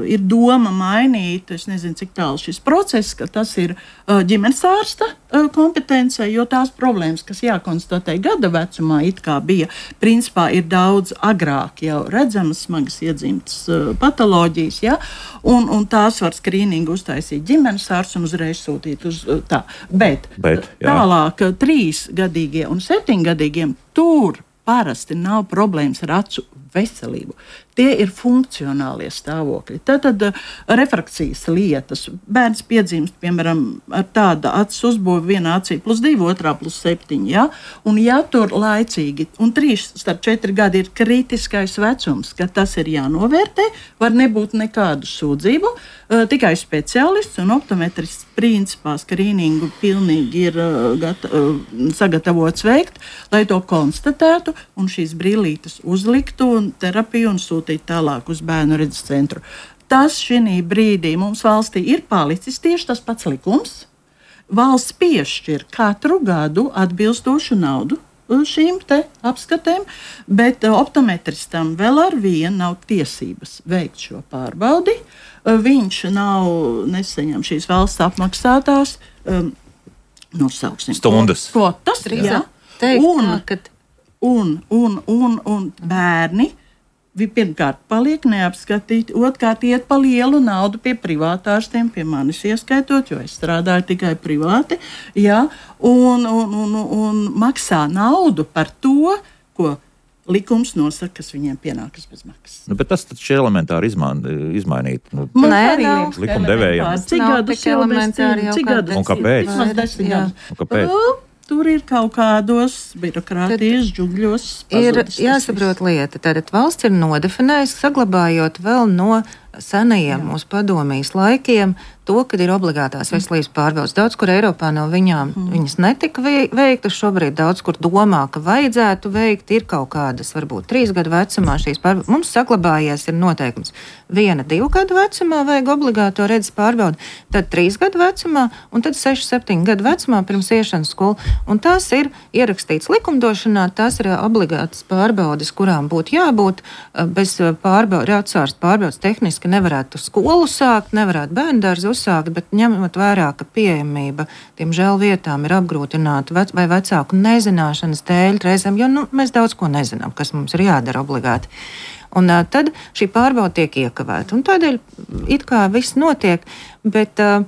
ir doma mainīt, es nezinu, cik tālu šis process, ka tas ir uh, ģimenes ārsta uh, kompetence, jo tās problēmas, kas jākonstatē gada vecumā, it kā bija, principā ir daudz agrāk jau redzamas, smagas iedzimtas uh, patoloģijas, ja? un, un tās var skrīningu uztaisīt ģimenes ārsts un uzreiz sūtīt uz uh, tā. Bet, Bet tālāk trīsgadīgie un septiņgadīgiem tur parasti nav problēmas ar acu veselību. Tie ir funkcionālie stāvokļi. Tātad refrakcijas lietas. Bērns piedzimst, piemēram, ar tādu acis uzbūvi vienā acī plus divi, otrā plus septiņi. Ja? Un ja tur laicīgi, un trīs starp četri gadi ir kritiskais vecums, kad tas ir jānovērtē, var nebūt nekādu sūdzību, tikai speciālists un optometrists principā skrīningu pilnīgi ir gata, sagatavots veikt, lai to konstatētu un šīs brīlītes uzliktu un terapiju un sūtīt tālāk uz bērnu redzes centru. Tas šī brīdī mums valstī ir palicis tieši tas pats likums. Valsts piešķir katru gadu atbilstošu naudu šīm te apskatēm, bet optometristam vēl ar vienu nav tiesības veikt šo pārbaudi. Viņš nav nesaņem šīs valsts apmaksātās um, nosauksim stundas. Kvotas, jā. Un, un, un, un, un bērni pirmkārt paliek neapskatīti, otrkārt iet pa lielu naudu pie privātārstiem, pie manis ieskaitot, jo es strādāju tikai privāti, jā, un, un, un, un maksā naudu par to, ko likums nosaka, kas viņiem pienākas bez maksas. Nu, bet tas taču elementāri izmain, izmainīt. Nu, Nē, nav. Likumdevējiem. Cik gadus jau mēs elementāri cik gadus? Un kāpēc? Un kāpēc? Tur ir kaut kādos birokrātijas džungļos. Ir jāsaprot lieta. Tātad valsts ir nodefinējusi, saglabājot vēl no senajiem mūsu padomijas laikiem to, kad ir obligātās veselības pārbaudes. Daudz, kur Eiropā no viņām mm. viņas netika veiktas, šobrīd daudz, kur domā, ka vajadzētu veikt, ir kaut kādas, varbūt trīs gadu vecumā šīs pārbaudes. Mums saglabājies ir noteikums. Viena, divu gadu vecumā vajag obligāto redzes pārbaudi, tad trīs gadu vecumā un tad seši, septiņu gadu vecumā pirms iešanas skolu. Un tās ir ierakstīts likumdošanā, tās ir obligātas pārbaudes, kurām būtu jābūt bez pārbaudes, atsvērst pārbaudes tehniski nevarētu skolu sākt, nevarētu bērndārzi uzsākt, bet ņemot vērā, ka pieejamība tiem žēl vietām ir apgrūtināta vec, vai vecāku nezināšanas dēļ reizēm, jo nu, mēs daudz ko nezinām, kas mums ir jādara obligāti. Un uh, tad šī pārbauda tiek iekavēta. Un tādēļ it kā viss notiek, bet uh,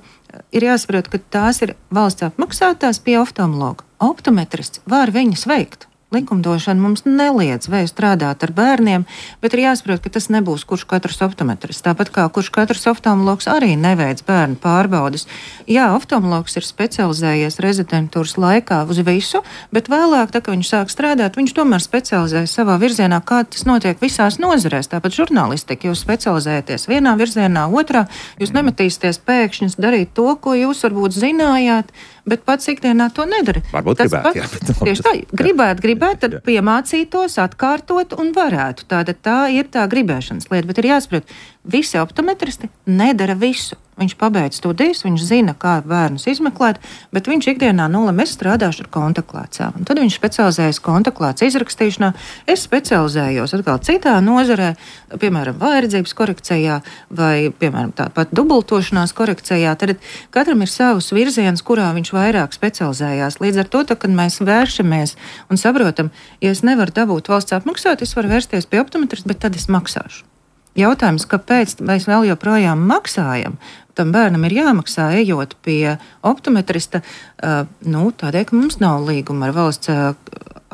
ir jāsaprot, ka tās ir valsts apmaksātās pie oftalmologa. Optometrists var viņas veikt. Likumdošana mums neliedz vai strādāt ar bērniem, bet ir jāsaprot, ka tas nebūs kurš katrs optometrists. Tāpat kā kurš katrs oftalmologs arī neveic bērnu pārbaudes. Jā, oftalmologs ir specializējies rezidentūras laikā uz visu, bet vēlāk, tā, kad viņš sāk strādāt, viņš tomēr specializējas savā virzienā, kā tas notiek visās nozarēs. Tāpat žurnālistika, jūs specializējaties vienā virzienā, otrā, jūs nemetīsieties pēkšņi darīt to, ko jūs varbūt zinājāt, bet pats ikdienā to nedara. Varbūt tas gribētu, pats, jā. Bet, tieši tā, gribētu, gribētu, tad piemācītos, atkārtot un varētu. Tātad tā ir tā gribēšanas lieta, bet ir jāsaprot, visi optometristi nedara visu. Viņš pabeidz studijas, viņš zina, kā bērnus izmeklēt, bet viņš ikdienā nolem, es strādāšu ar kontaktlēcām. Un tad viņš specializējas kontaktlēcu izrakstīšanā. Es specializējos atkal citā nozarē, piemēram, vājredzības korekcijā vai, piemēram, tāpat dubultošanās korekcijā. Tad katram ir savs virziens, kurā viņš vairāk specializējās. Līdz ar to, tā, kad mēs vēršamies un saprotam, ja es nevaru dabūt valsts apmaksāt, es varu vērsties pie optometrista, bet tad es maksāšu. Jautājums, kāpēc mēs vēl joprojām maksājam? Tam bērnam ir jāmaksā, ejot pie optometrista, uh, nu, tādēļ, ka mums nav līguma ar valsts uh,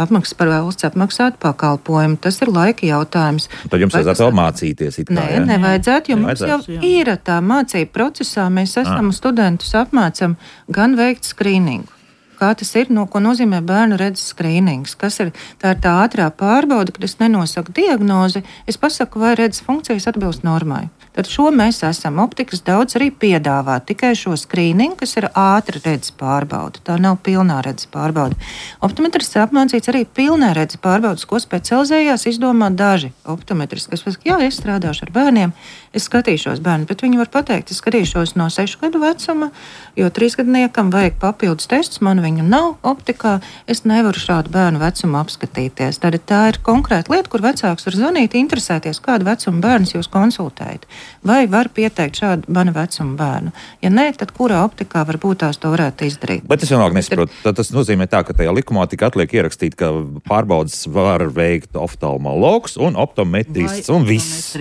apmaksas par valsts apmaksātu pakalpojumu. Tas ir laika jautājums. Tad jums vajadzētu vēl mācīties. It kā, Nē, ja? nevajadzētu, jo nevajadzētu. mums jau ir tā mācība procesā. Mēs esam ah. studentus apmācam gan veikt skrīningu. Kā tas ir, no, ko nozīmē bērnu redzes skrīnings, kas ir tā, ir tā ātrā pārbauda, kad es nenosaku diagnozi, es pasaku, vai redzes funkcijas atbilst normai. Tad šo mēs esam. Optikas daudz arī piedāvā tikai šo skrīningu, kas ir ātra redzes pārbauda. Tā nav pilnā redzes pārbauda. Optometrists apmācīts arī pilnā redzes pārbaudas, ko specializējās izdomāt daži optometristi, kas pasaka, jā, es strādāšu ar bērniem, es skatīšos bērnu, bet viņi var pateikt, es skatīšos no sešu gadu vecuma, jo trīsgadniekam vajag papildus testus, man viņu nav optikā, es nevaru šādu bērnu vecumu apskatīties. Tad tā ir konkrēta lieta, kur vecāks var zvanīt, interesēties, kādu vecumu bērns jūs konsultējat. Vai var pieteikt šādu mana vecuma bērnu? Ja nē, tad kurā optikā varbūt tās to varētu izdarīt? Bet es vienalga nesaprotu. Tad tas nozīmē tā, ka tajā likumā tik atliek ierakstīt, ka pārbaudas var veikt oftalmologs un optometrists un viss.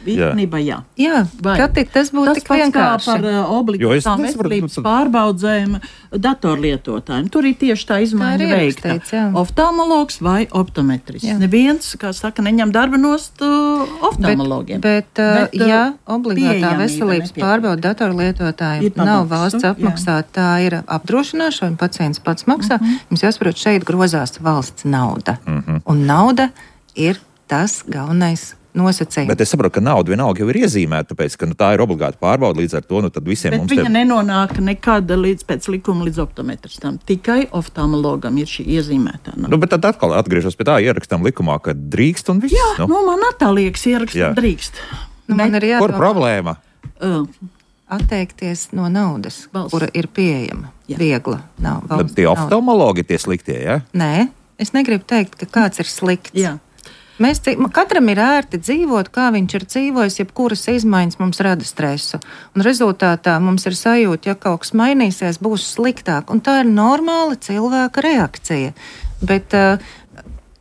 īstenībā jā. Jā, Vai. Kad tas būtu Tas tik pats kā vienkārši. par uh, obligātām veselības pārbaudzēm datorlietotājiem. Tur ir tieši tā izmaiņa veikta. Oftalmologs vai optometrists. Jā. Neviens, kā saka, neņem darba nost uh, oftalmologiem. Bet, bet, bet uh, ja obligātā veselības nepietiek. Pārbauda datorlietotājiem nav valsts apmaksāta, tā ir apdrošināšana, un pacients pats maksā, uh-huh. Jums jāsaprot, šeit grozās valsts nauda. Uh-huh. Un nauda ir tas galvenais nosacījums. Bet es saprotu, ka nauda vienalga jau ir iezīmēta, tāpēc, ka nu, tā ir obligāta pārbauda, līdz ar to nu, tad visiem bet mums... Bet viņa te... nenonāk nekad līdz pēc likuma līdz optometristam. Tikai oftalmologam ir šī iezīmētā nauda. Nu, bet tad atkal atgriežos pie tā, ierakstām likumā, ka drīkst un viss. Jā, nu, nu man tā liekas, ierakstām drīkst. Nu, man ir jādomā, kur problēma? Uh, atteikties no naudas, valsts. Kura ir pieejama, jā. Viegla. Nav, Tad tie oftalmologi tie sliktie, jā? Ja? Nē, es negribu teikt, ka kāds ir slikts. Jā. Mēs, katram ir ērti dzīvot, kā viņš ir dzīvojis, jebkuras izmaiņas mums rada stresu. Un rezultātā mums ir sajūta, ja kaut kas mainīsies, būs sliktāk. Un tā ir normāla cilvēka reakcija. Bet, uh,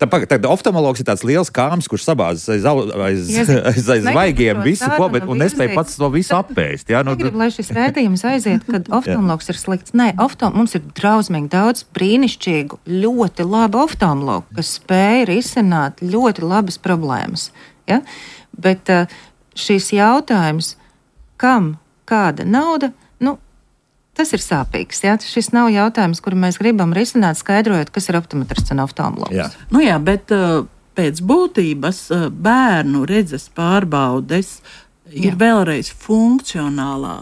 Tad, tad oftalmologs ir tāds liels kāms, kurš sabāzas aiz, aiz, aiz, aiz, aiz zvaigiem visu ko, bet un nespēja pats to visu apēst. Jā, nu, negribu, lai šis rēdījums aiziet, kad oftalmologs ir slikts. Nē, oftalm, mums ir drausmīgi daudz brīnišķīgu, ļoti labu oftalmologu, kas spēj risināt ļoti labas problēmas. Ja? Bet uh, šis jautājums, kam kāda nauda, nu, tas ir sāpīgs. Ja? Šis nav jautājums, kuru mēs gribam risināt, skaidrojot, kas ir optometrists un oftalmologs. Jā. Nu jā, bet uh, pēc būtības uh, bērnu redzes pārbaudes ir jā. Vēlreiz funkcionālā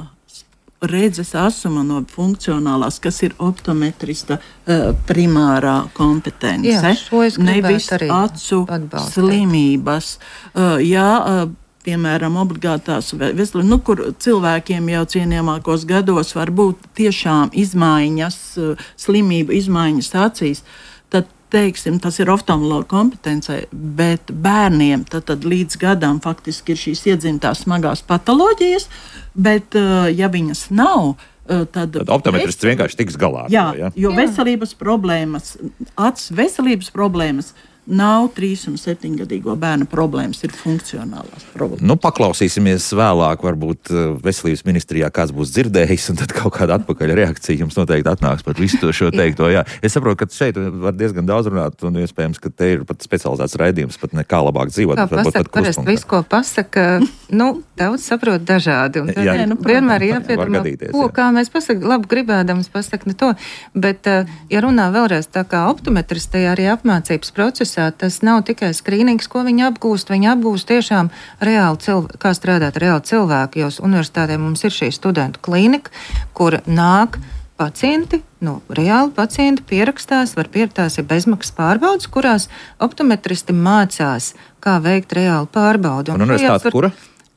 redzes asuma no funkcionālās, kas ir optometrista uh, primārā kompetence. Jā, šo es gribētu nevis arī acu atbalstīt. Slimības. Uh, jā, uh, piemēram, obligātās veselības, nu, kur cilvēkiem jau cienījamākos gados var būt tiešām izmaiņas, slimību izmaiņas acīs, tad, teiksim, tas ir oftalmologa kompetencē, bet bērniem tad, tad līdz gadam faktiski ir šīs iedzimtās smagās patoloģijas, bet, ja viņas nav, tad... Tad optometrists vienkārši tiks galā. Jā, to, ja? jo veselības problēmas, acs veselības problēmas, nav trīs un septiņgadīgo bērnu problēmas, ir funkcionālās problēmas. Nu, paklausīsimies vēlāk, varbūt veselības ministrijā kāds būs dzirdējis, un tad kaut kāda atpakaļ reakcija jums noteikti atnāks par visu to šo teikto. Jā. Es saprotu, ka šeit var diezgan daudz runāt, un iespējams, ka te ir pat specializēts raidījums, pat ne kā labāk dzīvot. Kā pasaka, parasti visu, ko pasaka, nu, daudz saprot dažādi, un tad jā, nu, vienmēr jāpiedomā, ko, jā. Kā mēs pasaka, labi gribēdams pasaka ne to, bet, ja runā vēlreiz tā kā optometristajā arī apmācības procesā, tas nav tikai skrīnings, ko viņi apgūst. Viņi apgūst tiešām reāli cilvēku, kā strādāt reāli cilvēku, jo universitātē mums ir šī studentu klinika, kur nāk pacienti, nu, reāli pacienti pierakstās, var pierakstās ir bezmaksas pārbaudas, kurās optometristi mācās, kā veikt reāli pārbaudu. Un universitāte var... kura?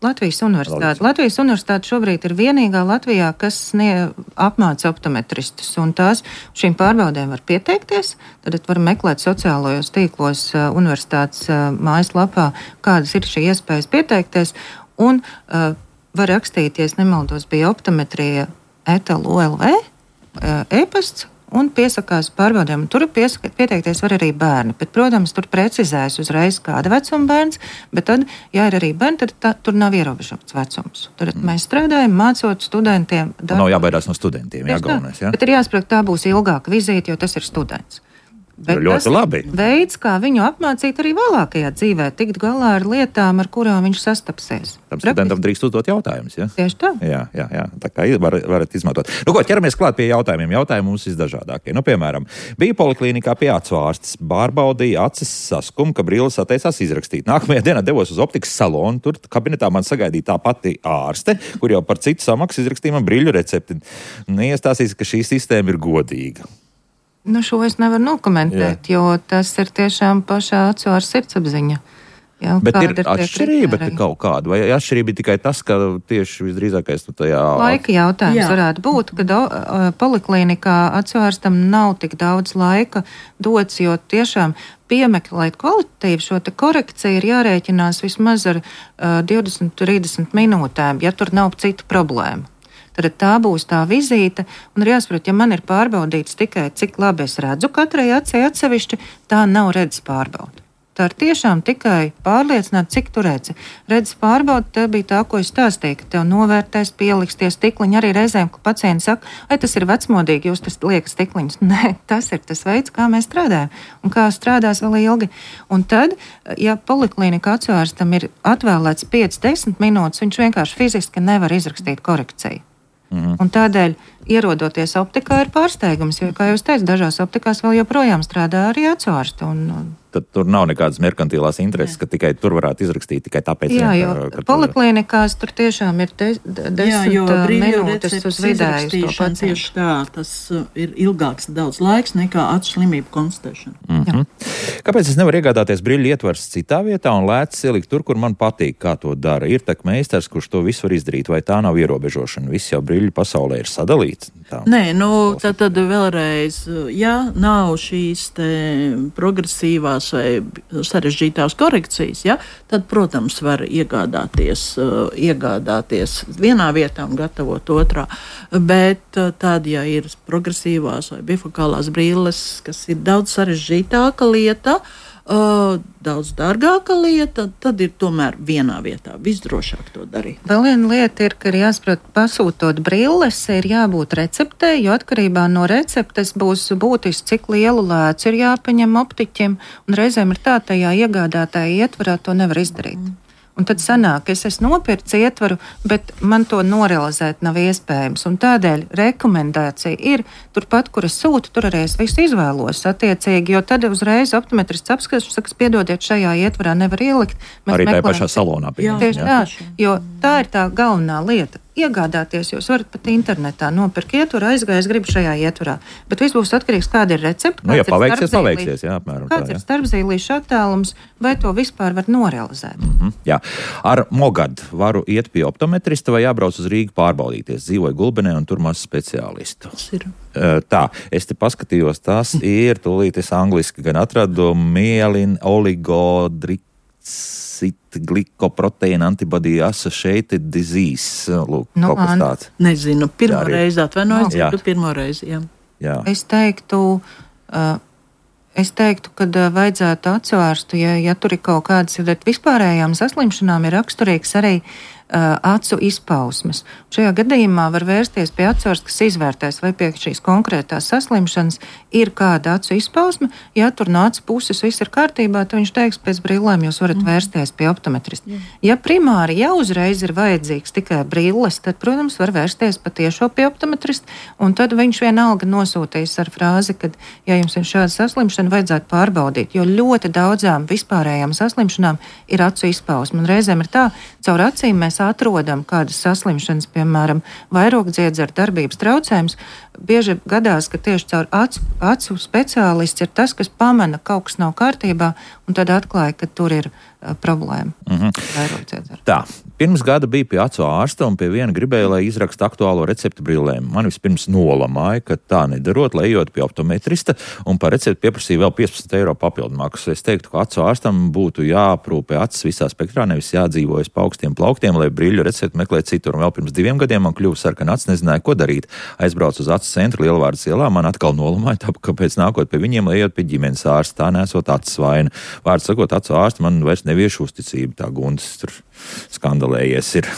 Latvijas universitāte. Latvijas universitāte šobrīd ir vienīgā Latvijā, kas snie, apmāca optometristus, un tās šīm pārbaudēm var pieteikties. Tad var meklēt sociālajos tīklos uh, universitātes uh, mājaslapā, kādas ir šī iespējas pieteikties, un uh, var rakstīties, nemaldos, bija optometrija et el o el ve uh, e-pasts, un piesakās pārbaudēm. Tur piesaka, pieteikties var arī bērni, bet, protams, tur precizēs uzreiz kāda vecuma bērns, bet tad, ja ir arī bērni, tad tā, tur nav ierobežots vecums. Tad mm. mēs strādājam, mācot studentiem. Darbu. Nav jābaidās no studentiem, jā, galvenais, jā? Bet ir jāsaprot, tā būs ilgāka vizīte, jo tas ir students. Bet ļoti labi. Veids, kā viņu apmācīt arī vēlākajā dzīvē, tikt galā ar lietām, ar kurām viņš sastapsies. Tam studentam drīkst uzdot jautājumus, ja? Tieši tā. Jā, jā, jā. Tā kā var, varat izmantot. Nu, ko, ķeramies klāt pie jautājumiem. Jautājumi mums visdažādākie. Nu, piemēram, bija poliklīnikā pie acu ārstes, pārbaudīja acis saskumu, ka brilles atteicās izrakstīt. Nākamajā dienā devos uz optikas salonu, tur kabinetā man sagaidīja tā pati ārste, kur jau par citu samaksu izrakstīja man briļu recepti. Neiestāsīs, ka šī sistēma ir godīga. Nu, šo es nevaru nokomentēt, jā. Jo tas ir tiešām pašā acu ar sirdsapziņa. Jā, bet ir, ir atšķirība kaut kāda, vai atšķirība ir tikai tas, ka tieši visdrīzākais nu, tajā... Laika jautājums jā. Varētu būt, ka do, poliklīnikā acu ārstam nav tik daudz laika dots, jo tiešām piemeklēt kvalitatīvi šo te korekciju ir jārēķinās vismaz ar uh, divdesmit līdz trīsdesmit minūtēm, ja tur nav citu problēmu. Tad tā būs tā vizīte, un ir jāsaprot, ja man ir pārbaudīts tikai, cik labi es redzu katrai acī atsevišķi, tā nav redzes pārbauda. Tā ir tiešām tikai pārliecināta, cik tu redzi. Redzes pārbauda, tā bija tā, ko es stāstīju, ka tev novērtēs, pieliks tie stikliņi. Arī reizēm, ka pacienti saka, ai, tas ir vecmodīgi, jūs tas liekas stikliņus. Nē, tas ir tas veids, kā mēs strādājam un kā strādās vēl ilgi. Un tad, ja poliklinika atsvērstam ir atvēlēts piecas desmit minūtes, viņš vienkārši fiziski nevar izrakstīt korekciju. Mhm. Un tādēļ, ierodoties optikā, ir pārsteigums, jo, kā jūs teicat, dažās optikās vēl joprojām strādā arī atsvārsti. Un, un... Tad tur nav nekādas merkantilās intereses, ka tikai tur varētu izrakstīt tikai tāpēc. Jā, vien, jo ka, ka poliklinikās tur tiešām ir de, de, desmit minūtes uz vidēju to pacientu. Tieši tā, tas ir ilgāks daudz laiks nekā acu slimību konstatēšana. Mm-hmm. Kāpēc es nevaru iegādāties brīļu ietvars citā vietā un lētas ielikt tur, kur man patīk, kā to dara? Ir tak meistars, kurš to visu var izdarīt, vai tā nav ierobežošana? Viss jau brīļu pasaulē ir sadalīts. Tā. Nē, nu, tad, tad vēlreiz, ja nav šīs te progresīvās vai sarežģītās korekcijas, ja, tad, protams, var iegādāties, uh, iegādāties vienā vietā un gatavot otrā. Bet uh, tad, ja ir progresīvās vai bifokālās brīles, kas ir daudz sarežģītāka lieta, uh, daudz dārgāka lieta, tad ir tomēr vienā vietā visdrošāk to darīt. Vēl viena lieta ir, ka ir jāsaprot, pasūtot brilles, ir jābūt receptei, jo atkarībā no receptes būs būtiski, cik lielu lēcu ir jāpaņem optiķim, un reizēm ir tā, tajā iegādātāja ietvarā to nevar izdarīt. Mm. Un tad sanāk, es esmu nopircis ietvaru, bet man to norealizēt nav iespējams. Un tādēļ rekomendācija ir turpat, kur es sūtu, tur arī es visu izvēlos attiecīgi, jo tad uzreiz optometrists apskatās un saka, piedodiet, šajā ietvarā nevar ielikt. Mēs arī tajā meklējam, pašā salonā. Jā, tieši tā, jo tā ir tā galvenā lieta. Iegādāties, jūs varat pat internetā nopirkt ietvaru, aizgājis, gribu šajā ietvarā. Bet viss būs atkarīgs, kāda ir recepte. Nu, ja paveiksies, paveiksies, jā, apmēram kāds tā, jā. ir starpzīlīšu attālums, vai to vispār var norealizēt. Mm-hmm, jā. Ar Mogadu varu iet pie optometrista vai jābrauc uz Rīgu pārbaudīties. Dzīvoju Gulbenē un tur maz speciālistu. Tā, es te paskatījos, tas ir, tūlīt es angliski gan atradu, mielin oligodriks. Glikoproteīna antibody associated disease. Lūk, nu, kaut kas tāds. Nezinu, pirmo reizi atvainojos, dzirdu pirmo reizi, jā. jā. Es teiktu, uh, es teiktu, ka uh, vajadzētu atsvērstu, ja, ja tur ir kaut kādas, ja vispārējām saslimšanām ir raksturīgs arī uh, acu izpausmes. Šajā gadījumā var vērsties pie atsvērsta, kas izvērtēs, vai pie šīs konkrētās saslimšanas ir kāda acu izpausme. Ja tur no acu puses viss ir kārtībā, tad viņš teiks, pēc brillēm jūs varat mm. vērsties pie optometrista. Mm. Ja primāri jau uzreiz ir vajadzīgs tikai brilles, tad, protams, var vērsties patiešo pie optometrista, un tad viņš vienalga nosūtīs ar frāzi, ka, ja jums ir šāda saslimšana, vajadzētu pārbaudīt, jo ļoti daudzām vispārējām saslimšanām ir acu izpausme. Un reizēm ir tā, caur acīm mēs atrodam kādas saslimšanas, piemēram, vairogdziedzera darbības traucējums. Bieži gadās, ka tieši caur acu, acu speciālists ir tas, kas pamana, kaut kas nav kārtībā, un tad atklāja, ka tur ir uh, problēma. Mm-hmm. Tā, pirms gada bija pie acu ārsta un pie viena gribēja, lai izraksta aktuālo recepti brillēm. Man vispirms nolamāja, ka tā nedarot, lai ejot pie optometrista un par recepti pieprasīja vēl piecpadsmit eiro papildu maksu. Es teiktu, ka acu ārstam būtu jāprūpē acis visā spektrā, nevis jādzīvojas pa augstiem plauktiem, lai brīļu recepti meklēt citur. Un vēl pirms diviem gadiem man kļuva sarkana acis, nezināju, ko darīt. Aizbraucu uz acu centru Lielvārdas ielā, man atkal nolamāja, tāpēc, kāpēc nākot pie viņiem, lai ejot pie ģimenes ārsta, tā nesot acis vaina. Vārds sakot, acu ārsta man vairs neviešu uzticību, tā Guntis tur skandalējies ir.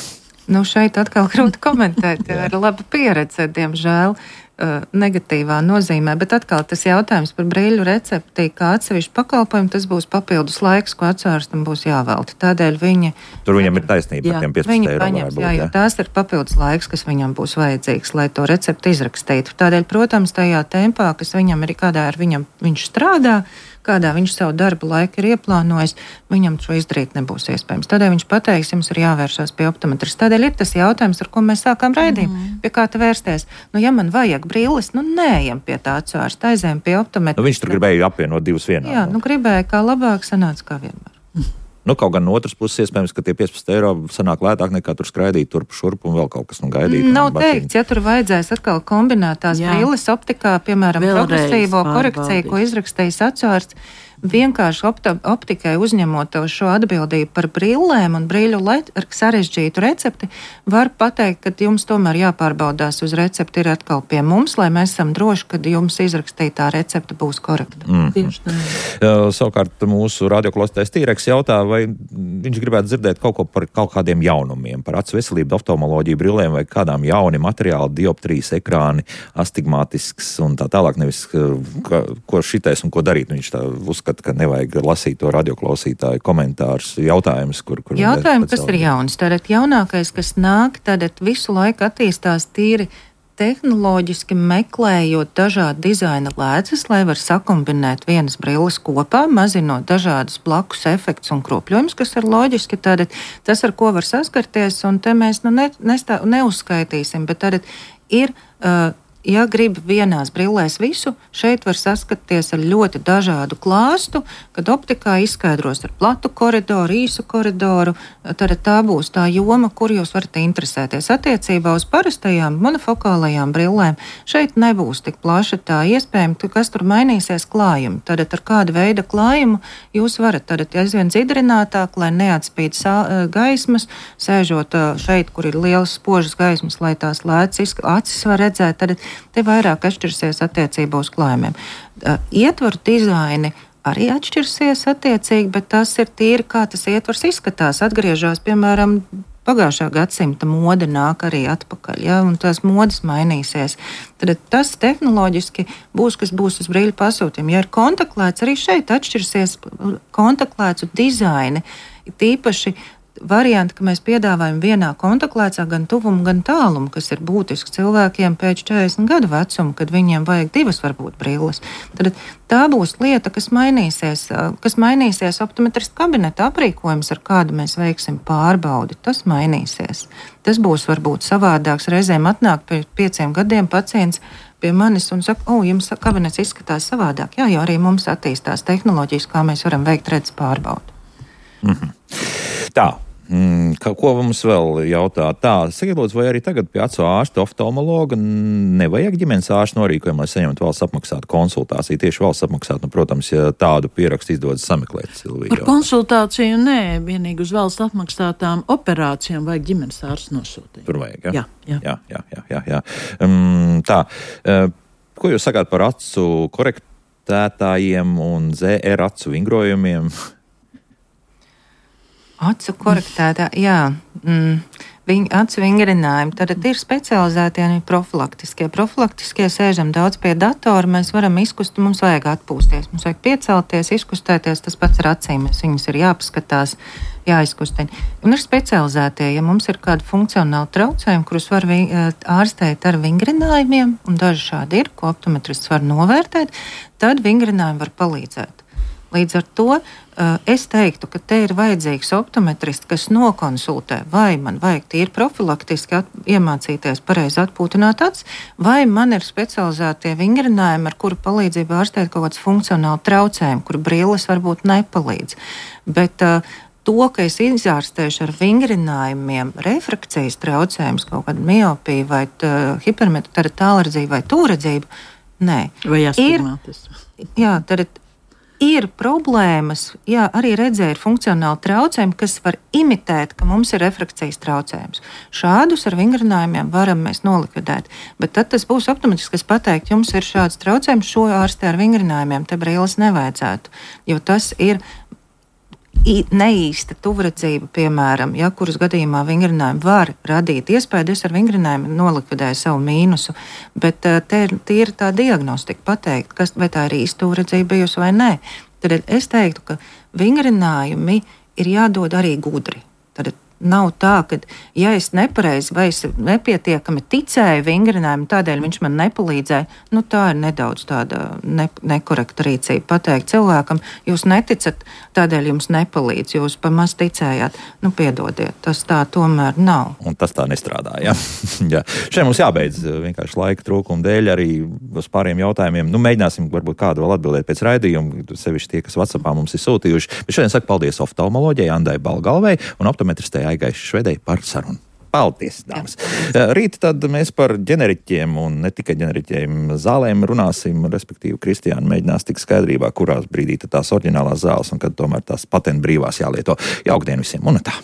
Nu, šeit atkal grūti komentēt, ir laba pieredze, diemžēl, negatīvā nozīmē, bet atkal tas jautājums par brīļu recepti, kā atsevišķu pakalpojumu, tas būs papildus laiks, ko atsvārstam būs jāvelta. Tādēļ viņi... Tur viņam ir taisnība par tiem piecpadsmit eiro. Paņems, jā, jo tās ir papildus laiks, kas viņam būs vajadzīgs, lai to recepti izrakstītu. Tādēļ, protams, tajā tempā, kas viņam ir, kādā ar viņam viņš strādā, kādā viņš savu darbu laiku ir ieplānojis, viņam šo izdarīt nebūs iespējams. Tādēļ viņš pateiks, jums ir jāvēršās pie optometrista. Tādēļ ir tas jautājums, ar ko mēs sākām raidījumu, mm. pie kā te vērsties. Nu, ja man vajag brilles, nu neejam pie tā acu ārsta, aizējam pie optometrista. Nu, viņš tur gribēja apvienot divus vienā. Jā, nu gribēja kā labāk, sanāca kā vienmēr. Nu, kaut gan no otras puses, iespējams, ka tie piecpadsmit eiro sanāk lētāk nekā tur skraidīt turp šurp un vēl kaut kas nu gaidīt. Nav teikts, ja tur vajadzēs atkal kombinētās brilles optikā, piemēram, progresīvo korekciju, ko izrakstījis acu ārsts, vienkārši opta, optikai uzņemot šo atbildību par brillēm un brīļu sarežģītu recepti, var pateikt, ka jums tomēr jāpārbaudās uz recepti ir atkal pie mums, lai mēs esam droši, ka jums izrakstītā recepte būs korekta. Mm. Tieši tā. Uh, savukārt mūsu radioklausītājs Tīreks jautā, vai viņš gribētu dzirdēt kaut ko par kaut kādiem jaunumiem, par acu veselību, oftalmoloģiju, brillēm vai kādām jauni materiāli, dioptrijas ekrāni, astigmātisks un tā tālāk, nevis ka, ko šitais un ko darīt. Viņš tā uzskata, ka nevajag lasīt to radioklausītāju komentārus, jautājumus, kur... kur Jautājumi, kas ir jauns. Tātad jaunākais, kas nāk, tātad visu laiku attīstās tīri tehnoloģiski meklējot dažādu dizaina lēcas, lai var sakombinēt vienas brilles kopā, mazinot dažādas blakus efektus un kropļojumus, kas ir loģiski. Tātad tas, ar ko var saskarties, un te mēs nu ne, nestā, neuzskaitīsim, bet tātad ir... Uh, Ja grib vienās brillēs visu, šeit var saskaties ar ļoti dažādu klāstu, kad optikā izskaidros ar platu koridoru, īsu koridoru, tad tā būs tā joma, kur jūs varat interesēties. Attiecībā uz parastajām monofokālajām brillēm šeit nebūs tik plaša tā iespējama, kas tur mainīsies klājumi. Tad ar kādu veidu klājumu jūs varat tad aizvien dzidrinātāk, lai neatspīd gaismas, sēžot šeit, kur ir lielas spožas gaismas, lai tās lēcas acis var redzēt, tad te vairāk atšķirsies attiecībā uz klājumiem. Ietvaru dizaini arī atšķirsies attiecīgi, bet tas ir tīri, kā tas ietvars izskatās. Atgriežās, piemēram, pagājušā gadsimta mode nāk arī atpakaļ, ja, un tās modes mainīsies. Tad tas tehnoloģiski būs, kas būs uz brīļu pasūtījumu. Ja ir kontaktlēts, arī šeit atšķirsies kontaktlēcu dizaini, tīpaši varianti, ka mēs piedāvājam vienā kontaktlēcā gan tuvumu, gan tālumu, kas ir būtiski cilvēkiem pēc četrdesmit gadu vecuma, kad viņiem vajag divas varbūt brilles. Tad tā būs lieta, kas mainīsies, kas mainīsies optometrista kabineta aprīkojums, ar kādu mēs veiksim pārbaudi. Tas mainīsies. Tas būs varbūt savādāks. Reizēm atnāk pēc pieciem gadiem pacients pie manis un saka, o, jums kabinets izskatās savādāk. Jā, jo arī mums attīstās tehnoloģijas, kā mēs varam veikt redzes pārbaudi. Mm-hmm. Tā. Mm, ko mums vēl jautā? Tā, sakiet, lūdzu, vai arī tagad pie acu ārsta, oftalmologa nevajag ģimenes ārsta norīkojumu, lai saņemtu valsts apmaksātu konsultāciju? Tieši valsts apmaksātu, nu, protams, ja tādu pierakstu izdodas sameklēt. Silvija, par konsultāciju nē, vienīgi uz valsts apmaksātām operācijām vajag ģimenes ārsta nosūtīt. Tur vajag, ja? Jā, jā. jā, jā, jā, jā, jā. Um, tā, uh, ko jūs sakāt par acu korektētājiem un Z R acu vingrojumiem? Acu korektētā, jā, mm, viņ, acu vingrinājumi, tad ir specializētie un profilaktiskie. Profilaktiskie sēžam daudz pie datora, mēs varam izkust, mums vajag atpūsties, mums vajag piecelties, izkustēties, tas pats ar acīm, viņas ir jāpaskatās, jāizkustina. Un ir specializētie, ja mums ir kāda funkcionāla traucējuma, kurus var vi, ārstēt ar vingrinājumiem, un daži šādi ir, ko optometrists var novērtēt, tad vingrinājumi var palīdzēt. Līdz ar to uh, es teiktu, ka te ir vajadzīgs optometrists, kas nokonsultē, vai man vajag tīri profilaktiski at, iemācīties pareizi atpūtināt acis, vai man ir specializētie vingrinājumi, ar kuru palīdzību ārstēt kaut kāds funkcionāli traucējumi, kuru brilles varbūt nepalīdz. Bet uh, to, ka es izārstēšu ar vingrinājumiem refrakcijas traucējumus, kaut kādu miopiju vai hipermetropu tālredzību vai tūredzību, nē. Vai astigmatismu. Jā, tad ir problēmas, jā, arī redzē ir funkcionāli traucējumi, kas var imitēt, ka mums ir refrakcijas traucējums. Šādus ar vingrinājumiem varam mēs nolikvidēt, bet tad tas būs optometrisks, kas pateikt, jums ir šāds traucējums, šo ārstē ar vingrinājumiem, te brilles nevajadzētu, jo tas ir neīsta tuvredzība, piemēram, ja, kuras gadījumā vingrinājumi var radīt iespēju, es ar vingrinājumiem nolikvidēju savu mīnusu, bet te ir, te ir tā diagnostika pateikt, kas, vai tā ir īsta tuvredzība bijusi vai nē. Tad es teiktu, ka vingrinājumi ir jādod arī gudri. Tad nav tā, ka, ja es nepareizi vai es nepietiekami ticēju vingrinājumu, tādēļ viņš man nepalīdzēja, nu tā ir nedaudz tāda ne, nekorekta rīcība. Pateikt cilvēkam, jūs neticat, tādēļ jums nepalīdz, jūs pamaz ticējāt, nu piedodiet, tas tā tomēr nav. Un tas tā nestrādā, jā. jā. Šeit mums jābeidz vienkārši laika trūkuma dēļ arī uz pāriem jautājumiem. Nu, mēģināsim varbūt kādu vēl atbildēt pēc raidījuma, sevišķi tie, kas WhatsAppā mums ir sūtījuši. Bet šodien saku paldies oftalmoloģijai Andai Balgalvei un optometristei Aigai Švedei par sarunu. Paldies, dāmas. Rīt tad mēs par ģeneriķiem un ne tikai ģeneriķiem zālēm runāsim, respektīvi Kristiāna mēģinās tik skaidrībā, kurās brīdī tās oriģinālās zāles un kad tomēr tās patentu brīvās jālieto. Jaukdien visiem un tā!